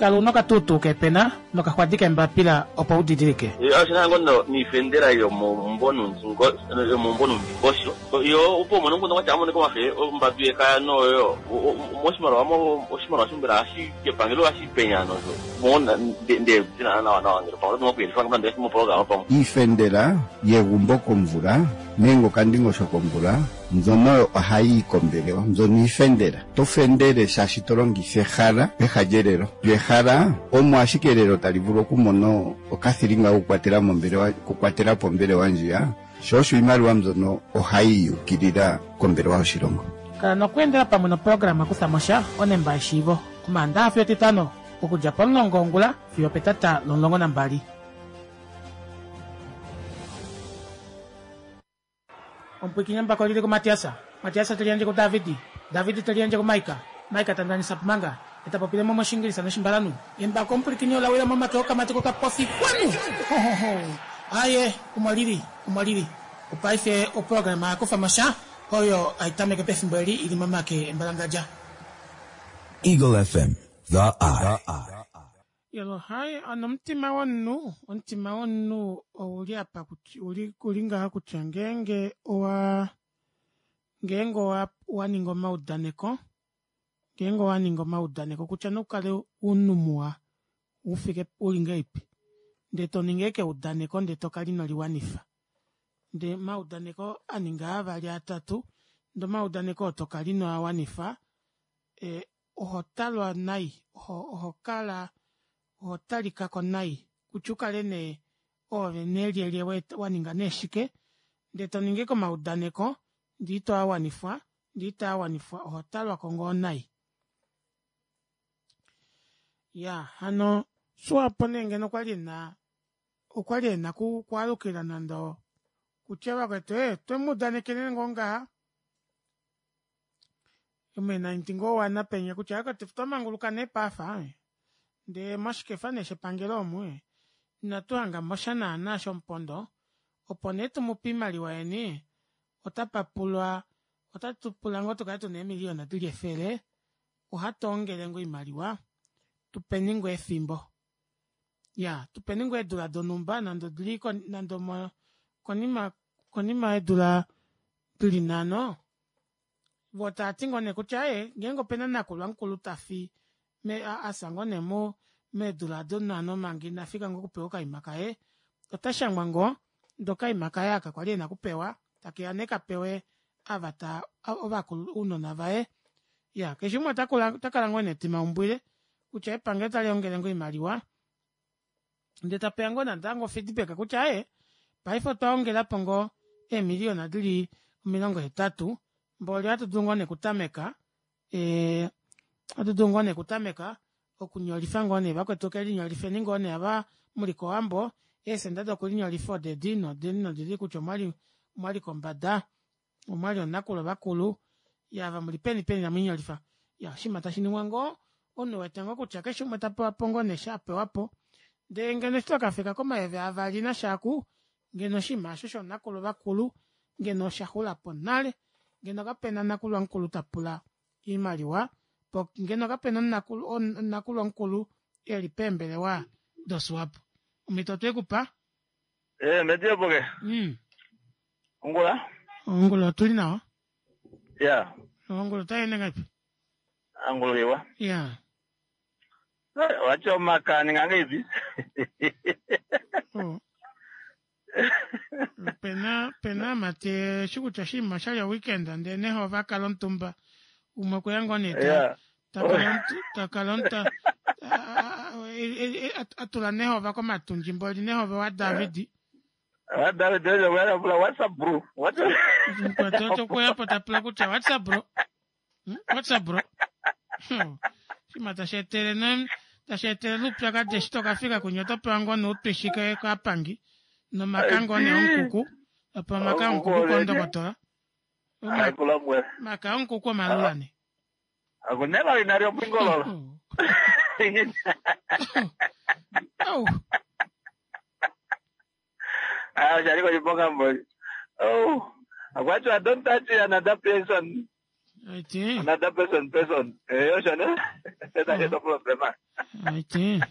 Kala una okatuutuu keepena nokaxwadi keembapila opo u didilike. Oshi na ngoo noifendela yomoumbo noundingosho yo opo umone omukundu watya amonike omafe ombadu yekaya noyo moshimaliwa oshimaliwa sho mbela ohashi epangelo ohashi penya nosho mo nde dina nawa nawa ngele pamwe oto kuyelifa nande moprograma pamwe. Iifendela yegumbo komvula nenge okandingosho komvula mbyono ohayi yi kombelewa mbyono iifendela. To fendele shaashi to longitha ehala peha lyelelo. Lyo ehala omo ashike elelo tali vulu okumona okathilinga kokukwatela mombelewa okukwatela po ombelewa ndjiya, sho osho iimaliwa mbyono ohayi yukilila kombelewa yoshilongo. Kala nokweendela pamwe noprograma Kutha mo sha, onemba yeshiivo, Omaandaxa fiyo Etitano, okudja pomulongo wongula fiyo opetata lomulongo nambali. Omupwikinyambako lili kuMatias, Matias te liyandje kuDavid, David te liyandje kuMaika, Maika ta ndanisa Pumanga, e ta popile mo mOshiingilisa nOshimbalanhu. Embako omupwilikini ola wila momake okamati kokapofi kwanu! Hohoho! Aaye, omo lili, omo lili. Opaife oprograma ya kufa mo sha, oyo hai tameke pefimbo eli i li momake embalangadja. Eagle FM, The Eye. Yelo hai ano omutima womunhu, omutima womunhu ouli apa uli uli ngaha kutya ngeenge owa ngeenge owa wa ninga omaudaneko, ngeenge owa ninga omaudaneko kutya nokukale omunhu muwa ufike uli ngahelipi ndee to ningi ashike eudaneko ndee to kala ino liwanifa. Ndee omaudaneko a ninga avali atatu ndee omaudaneko oo to kala ino a wanifa e, oho talwa nai, oho, oho kala, oho talika ko nai, kutya u kale nee oove nee lyelye wa ninga nee shike, ndee to ningi komaudaneko ndee ito a wanifwa, ndee itaa wanifwa, oho talwa ko ngoo nai. Ya, hano Swapo nee ngeno okwa li ena, okwa li ena ku, kwaalukila nande kutya vakwetu, ee, twe mu udanekele ngoo ngaha, Omuenanti ngoo wana penya kutya akwetu twa manguluka nee paafa ndee moshikefa nee shepangelo omu inatu hanga mo sha naana shomupondo opo nee tumupe oimaliwa yeni otapa pulwa otatu pula ngoo tukale tuna eemiliyona dili efele ohatu ongele ngoo oimaliwa tupeni ngoo efimbo ya tupeni ngoo eedula donhumba nande odili nande konima konima yeedula dili nhano Vo tava ti ngoo nee kutya ee, ngeenge opena nakulwa mukulu ta fi me, a, a fya ngoo nee mo, meedula ado nhano manga ina fika ngoo okupewa okaima kaye, ota shangwa ngoo, ndee okaima kaye aka kwali ena okupewa, take ya nee ka pewe ava ta, ovakulu, ounona vaye. Iya, keshe umwe ota kula, ota kala ngoo ena etimaumbwile kutya epangelo otali ongele ngoo oimaliwa, ndee tapeya ngoo natango feedback kutya ee paife otwa ongelapo ngoo eemiliyona dili 80 mboli ohatu dulu ngoo nee okutameka ee ohatu dulu ngoo nee okutameka okunyolifa ngoo nee vakwetu kelinyolifeni ngoo nee ava muli kowambo eesenda dokulinyolifa odedi nodedi nodedi kutya omwali omwali kombada omwali onakulo vakulu ya va muli peni peni namwinyolifa ya oshinima tashi ningwa ngoo omunhu wete ngoo kutya keshe umwe ta pewa po ngoo nee sha pewa po ndee ngeno eshi twakafika komayeve avali nashaaku ngeno oshinima osho shonakulu vakulu ngeno osha xula po nale ngeno kapena nakulwa mukulu ta pula oimaliwa po ngeno kapena omunakulwa mukulu eli peembelewa doSwapo omhito otwe ku pa Eh, medioboke. Ongula? Ongula otuli nawa. Ya. Ongula otai ende ngaipi? Angula iwa. Ya. Eh, wacha omakani ngangeipi? Oh. Pena pena amati eshi kutya oshinima oshali oweekend ndee neho ova kala omutumba umwe okweya ngoo nee ta ta kala omuta a tula nehova komatundji mboli nehova waDavid. David oye pula what's up bro? What's up? Mukwetu oto kuya po ta pula kutya what's up bro? What's up bro? Shima tashi etele ne tashi etele oupyakadi eshi to ka fika kunya oto pewa ngoo noutwishi kaapangi nomaka ngoo nee omukuku opo omaka omukuku kondokotola. Maka omukuku omalula ne. Akunela inali omwingololo. Oh. Ah, osha li koshiponga mboli. Oh, akwati don't touch another person. Aiti. Another person person. Eh, osho ne. Eta eta problema. Aite.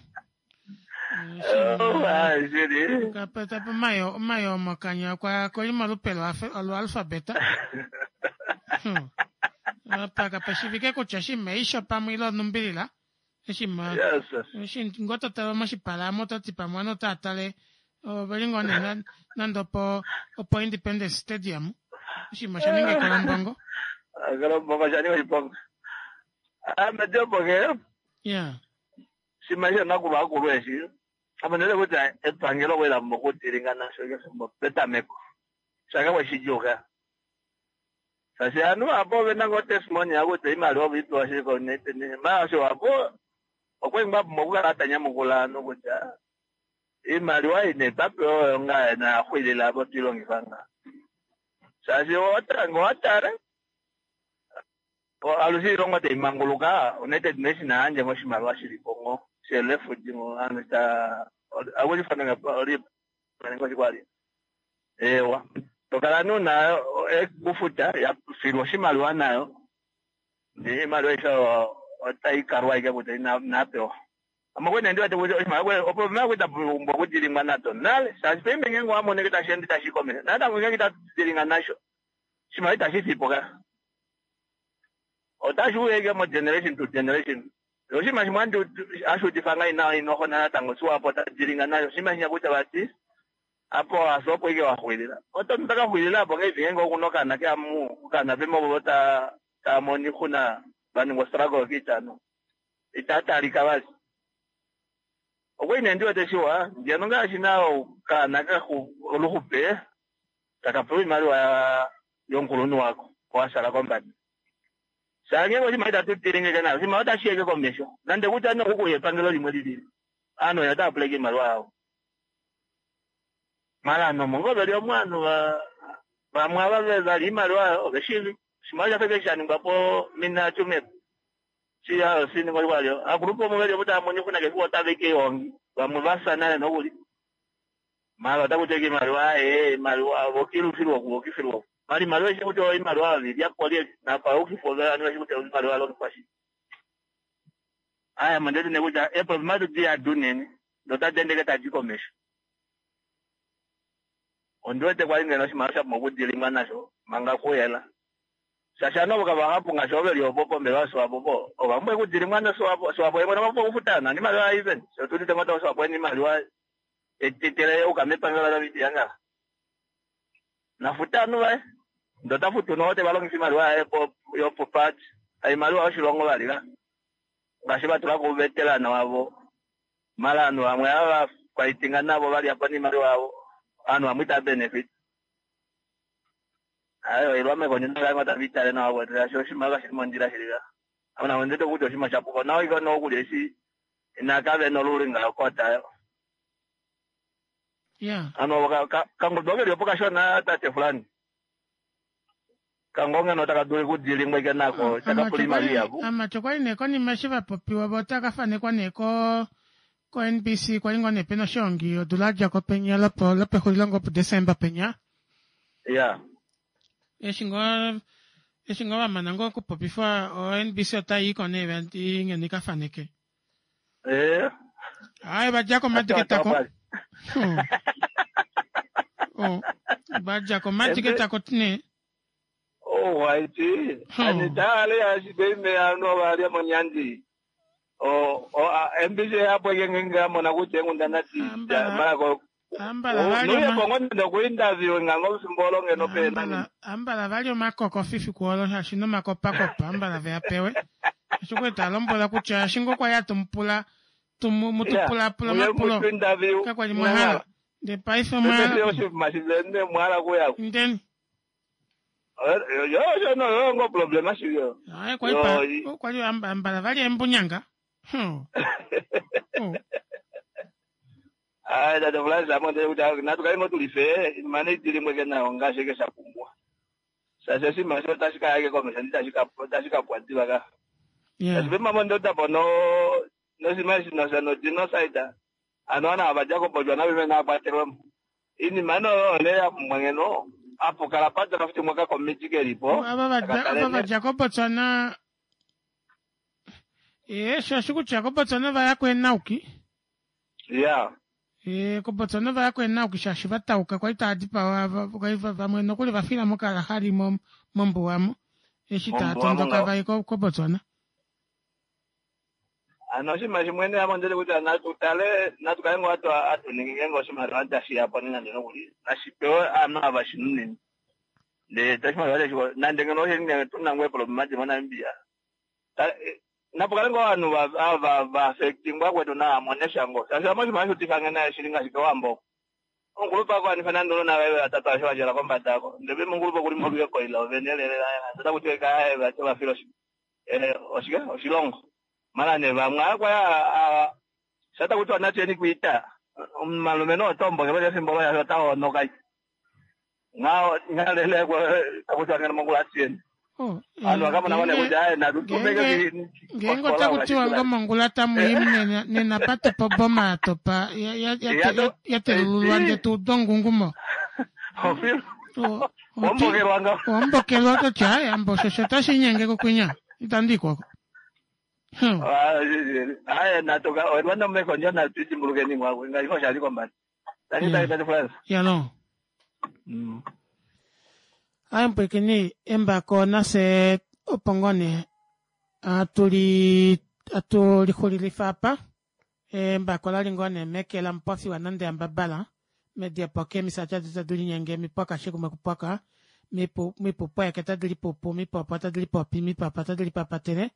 Oh, ah, shili. Kapata po mayo omayo mokanya kwa koli molupe lwoalfabeta. Apa kapashivike kutya shimeisho pamwe ile onumbilila. Eshi ma Yes. eshi ngoo to tale moshipala amo oto ti pamwe ovanhu otava tale oveli ngoo nee nande opo opo Independence Stadium. Oshinima osha ninga ekolombongo. Ekolombongo osha ninga oshiponga. Ame ndiopoke Yeah. shima shonakulwa akulu eshi ame ndele kutya epangelo okwali la pumbwa okudilinga nasho kefimbo petameko shake kweshidjuka shaashi ovanhu apo ovena ngoo testimony yakutya oimaliwa ove ipewa shili koUnited Nations maala osho apo okwali ngoo apumbwa okukala tanyamukula ovanhu kutya iimaliwa ei nee twapewa oyo ngaa noyaxwilila apo twilongifa ngaa shaashi owatala ngee owatale alushe oilongo taimanguluka United Nations ayandje ngoo oshimaliwa shilipo ngoo sherefugee ngoo ovanhu ta akuchifananga oshikwali ewa tokala nee una ekufuta yafilwa oshimaliwa nayo ndee iimaliwa aishe otaikalwa ashike kutya inapewa ame okwali nee ndiwete kutya oshimaliwa opo oimaliwa itapumbwa okudilingwa nado nale shaashi paife ngeenge owamono ashike tasheende tashi komesho natango ngeenge itatu nasho oshimaliwa itashifipo ka otashi uya ashike mo generation to generation oshinima shimwe hashi udifa ngai nawa inohona natango Swapo otadilinga nasho oshinima shinya kutya vati apo asa opo ike waxwilila oto takaxwilila apo ngeipi ngeenge okuna okaana keamu okaana pemo ta tamono oixuna vaningwa struggle kiitano itatalika vali okwali nee ndiwete shiwa ngeno ngaashi nao okaana oluxupe takapewa oimaliwa yomukulunhu wako washala kombada shaange oshimaliwa itatu tilingeke nayo oshimaliwa otashi yeke komesho nande kutya nokukuya epangelo limwe lilili ovanhu oyo otava puleke oimaliwa yavo mala ovanhu omo ngoo veli omu ovanhu vamwe ava vali oimaliwa oveshiivi oshimaliwa shafa eshi shaningwapo mina Tsumeb sininga akulupe omo veli omo tava mono oixuna keshe otava i keihongi vamwe vafya nale nokuli mala otakuti ashike oimaliwa ee oimaliwa vokilufilwa oku vokifilwa oku mala oimaliwa eshi kutya oimaliwa oyo lyelye napaukifo ovanhu veshi kutya oimaliwa yalongifwa shike aya ame onditi nee kutya eeproblema edi unene ndee otadi ende ashike tadi komesho ondiwete kwali ngeno oshimaliwa shapumbwa okudilingwa nasho manga kuyela shaashi ovanhu ovo kavahapu ngaashi ovo veli opo pombelewa yoSwapo po ovapumbwa okudilingwa noSwapo Swapo yemwene okwapumbwa okufuta nani oimaliwa even shoo tuudite ngoo Swapo ena oimaliwa etetele yuka mepangelo laNamibia ngaha nafuta ovanhu vaye ndee otafutu noho tevalongifa oimaliwa yaye yopoparty haimaliwa yoshilongo vali ka ngaashi vatulako ouveterana wavo mala ovanhu vamwe ava vafightinga navo valyapo noimaliwa yavo ovanhu vamwe itava benefit ayo oilwa mekonyo ndange tava nawa kwetu shaashi oshimaliwa kashili mondjila shili ka ame namo onditi kutya oshinima shapuka nawa ike nokuli eshi inakave nolulinga yokota Yeah. ano kangudu okeli opo kashona tate fulani kango ngeno taka dulu okudilingwa ike nako takapula oimaliwa ihapu Amatyo okwali nee konima eshi vapopiwa vo otakafanekwa nee ko ko NBC kwali ngoo nee pena oshoongi odula yadjako penya lopo lopexulilo ngoo puDesemba penya ya eshi ngoo eshi ngoo vamana ngoo okupopifwa o NBC otayiiko nee vati ngeno ikafaneke ee aye vadjako omatiketako oh vadjako omatiketako tine oh waiti anitale ashike anu valya monyandi o MBC yapo ngenge amona kutya enghundana malako ambala vali nuye kongo nende okuinterview ngango fimbo olo ngeno pena ambala vali omakoko fifi kuolo shaashi nomakopakopa ambala veapewe eshi kwali talombwela kutya eshi ngoo kwali hatumupula mutupulapula omapulo kakwali mwahala ndee paife omwahala oshinima shivene mwahala kuyako ndeni yo yo yo ngo problema shivyo aye kwali kwali ambala vali embunyanga ayi tate Fulani ame ondele kutya natu kale ngoo tulife mane idilimweke nayo ngaashi eke shapumbwa shaashi oshinima sho otashi kaya ike komesho ndi tashi kapwa diva ka shaashi pemamo ndotapo no noshinima eshi no genocide ano ana avadja koBotswana veve naakwatelwemo iinima noyo one yapumbwa ngeno apo kala padraftimwa kakomiti kelipo ava vadja koBotswana Ee, shaashi kutya koBotswana va ya kweenauki. Ya. Ee, koBotswana va ya kweenauki shaashi va tauka kwali tava dipawa kwali vamwe nokuli va fila mokalahari mombuwa mo eshi tava tondoka va ye koBotswana. Ano oshinima shimwe nee ame ondili kutya natu tale natu kale ngoo hatu ningi ngeenge oshimaliwa tashi ya po nande nokuli nashi pewe ovanhu ava shi nunine ndele oshimaliwa tashi nande ngeno oshili nee tu na ngoo eeproblema moNamibia napu kale ngoo ovanhu ava va affectingwa kwetu nava mone sha ngoo shaashi ame oshinima hashi udifa nge naye shili ngaashi kOwambo oku omukulupe a nande ounona vaye vatatu aveshe va djala kombada oko ndele omukulupe okuli molwekoila ovene lele otaku tiwa vati ova fila oshike oshilongo mala nee vamwe aa sha taku tiwa natuyeni kwiita omalumenhu otombokelwa efimbo loye ota honoka nghalele taku tiwa ngeno mongula atuyeni ovanhu vakamona ngoo nee kutya aye natu tubeke ngeenge otaku tiwa ngo mongula tamu i nena patopa oboma ya topa ya telululwa ndee tu uda ongungumo ombokelwa kutya aye ambo osho otashi inyenge kokwinya itandi ikwako aye natuka olwanda mekondjo natu dimbulukeni ngwakwe ngaashi osha li kombada tandi tali tati France yalo aye mpwekeni embako nase opo ngoo nee atuli atulixulilifa apa embako lali ngoo nee meke lamupofiwa nande ambabala mediapo kemisati adi tadi linyenge mipwaka shikumwe kupwaka mipupweke tadi lipupu mipopo tadi lipopi mipapa tadi lipapatele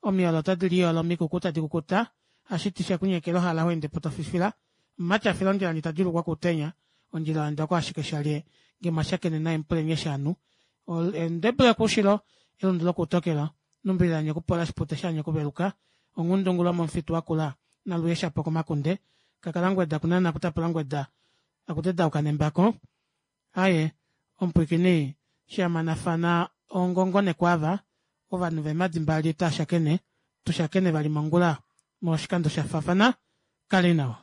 omiyolo tadi liyolo omikuku tadi kukuta hashiti shekunyekela ohala ho ende po tofifila omumati afila ondjila ndji tadjuulukwa kuutenya ondjila oya ashike shalye nge mwashakene naye mupuleni eshi anu endebula yokuushilo elundu lokuutokelo numbililanye okupola shipute shanye okuveluka onghundungu lomomufitu wakula naluye shapo komakunde kakalangweda kunana kutapula ngweda akutedauka nembako aye omupwiikini shamanafana ongongo nekwava ovanhu vemadi mbali tashakene tushakene vali mongula moshikando sha faafana kali nawa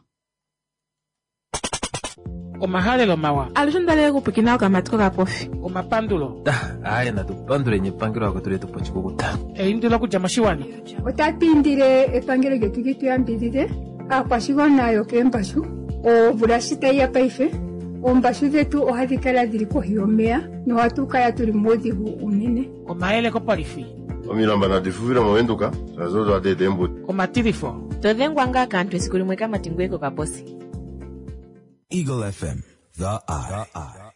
omahalelo mawa alushe ondalele okupwikina okamati kokapofi omapandulo aye natu panduleni epangelo akwetu letu pochikukuta eindilo okudja moshiwana Otatu indile epangelo lyetu li tu yambidhidhe aakwashigwana yokeembashu omvula shi tayi ya paife oombashu dhetu ohadhi kala dhili kohi yomeya nohatu kala tuli muudhigu unene omayele kopolifi Omilamba nadi fufile movenduka shaashi odo hadi eta eembuto. Omatilifo. To dhengwa ngaa kaantu esiku limwe kamati ngoye kokaposi. Eagle FM, the eye.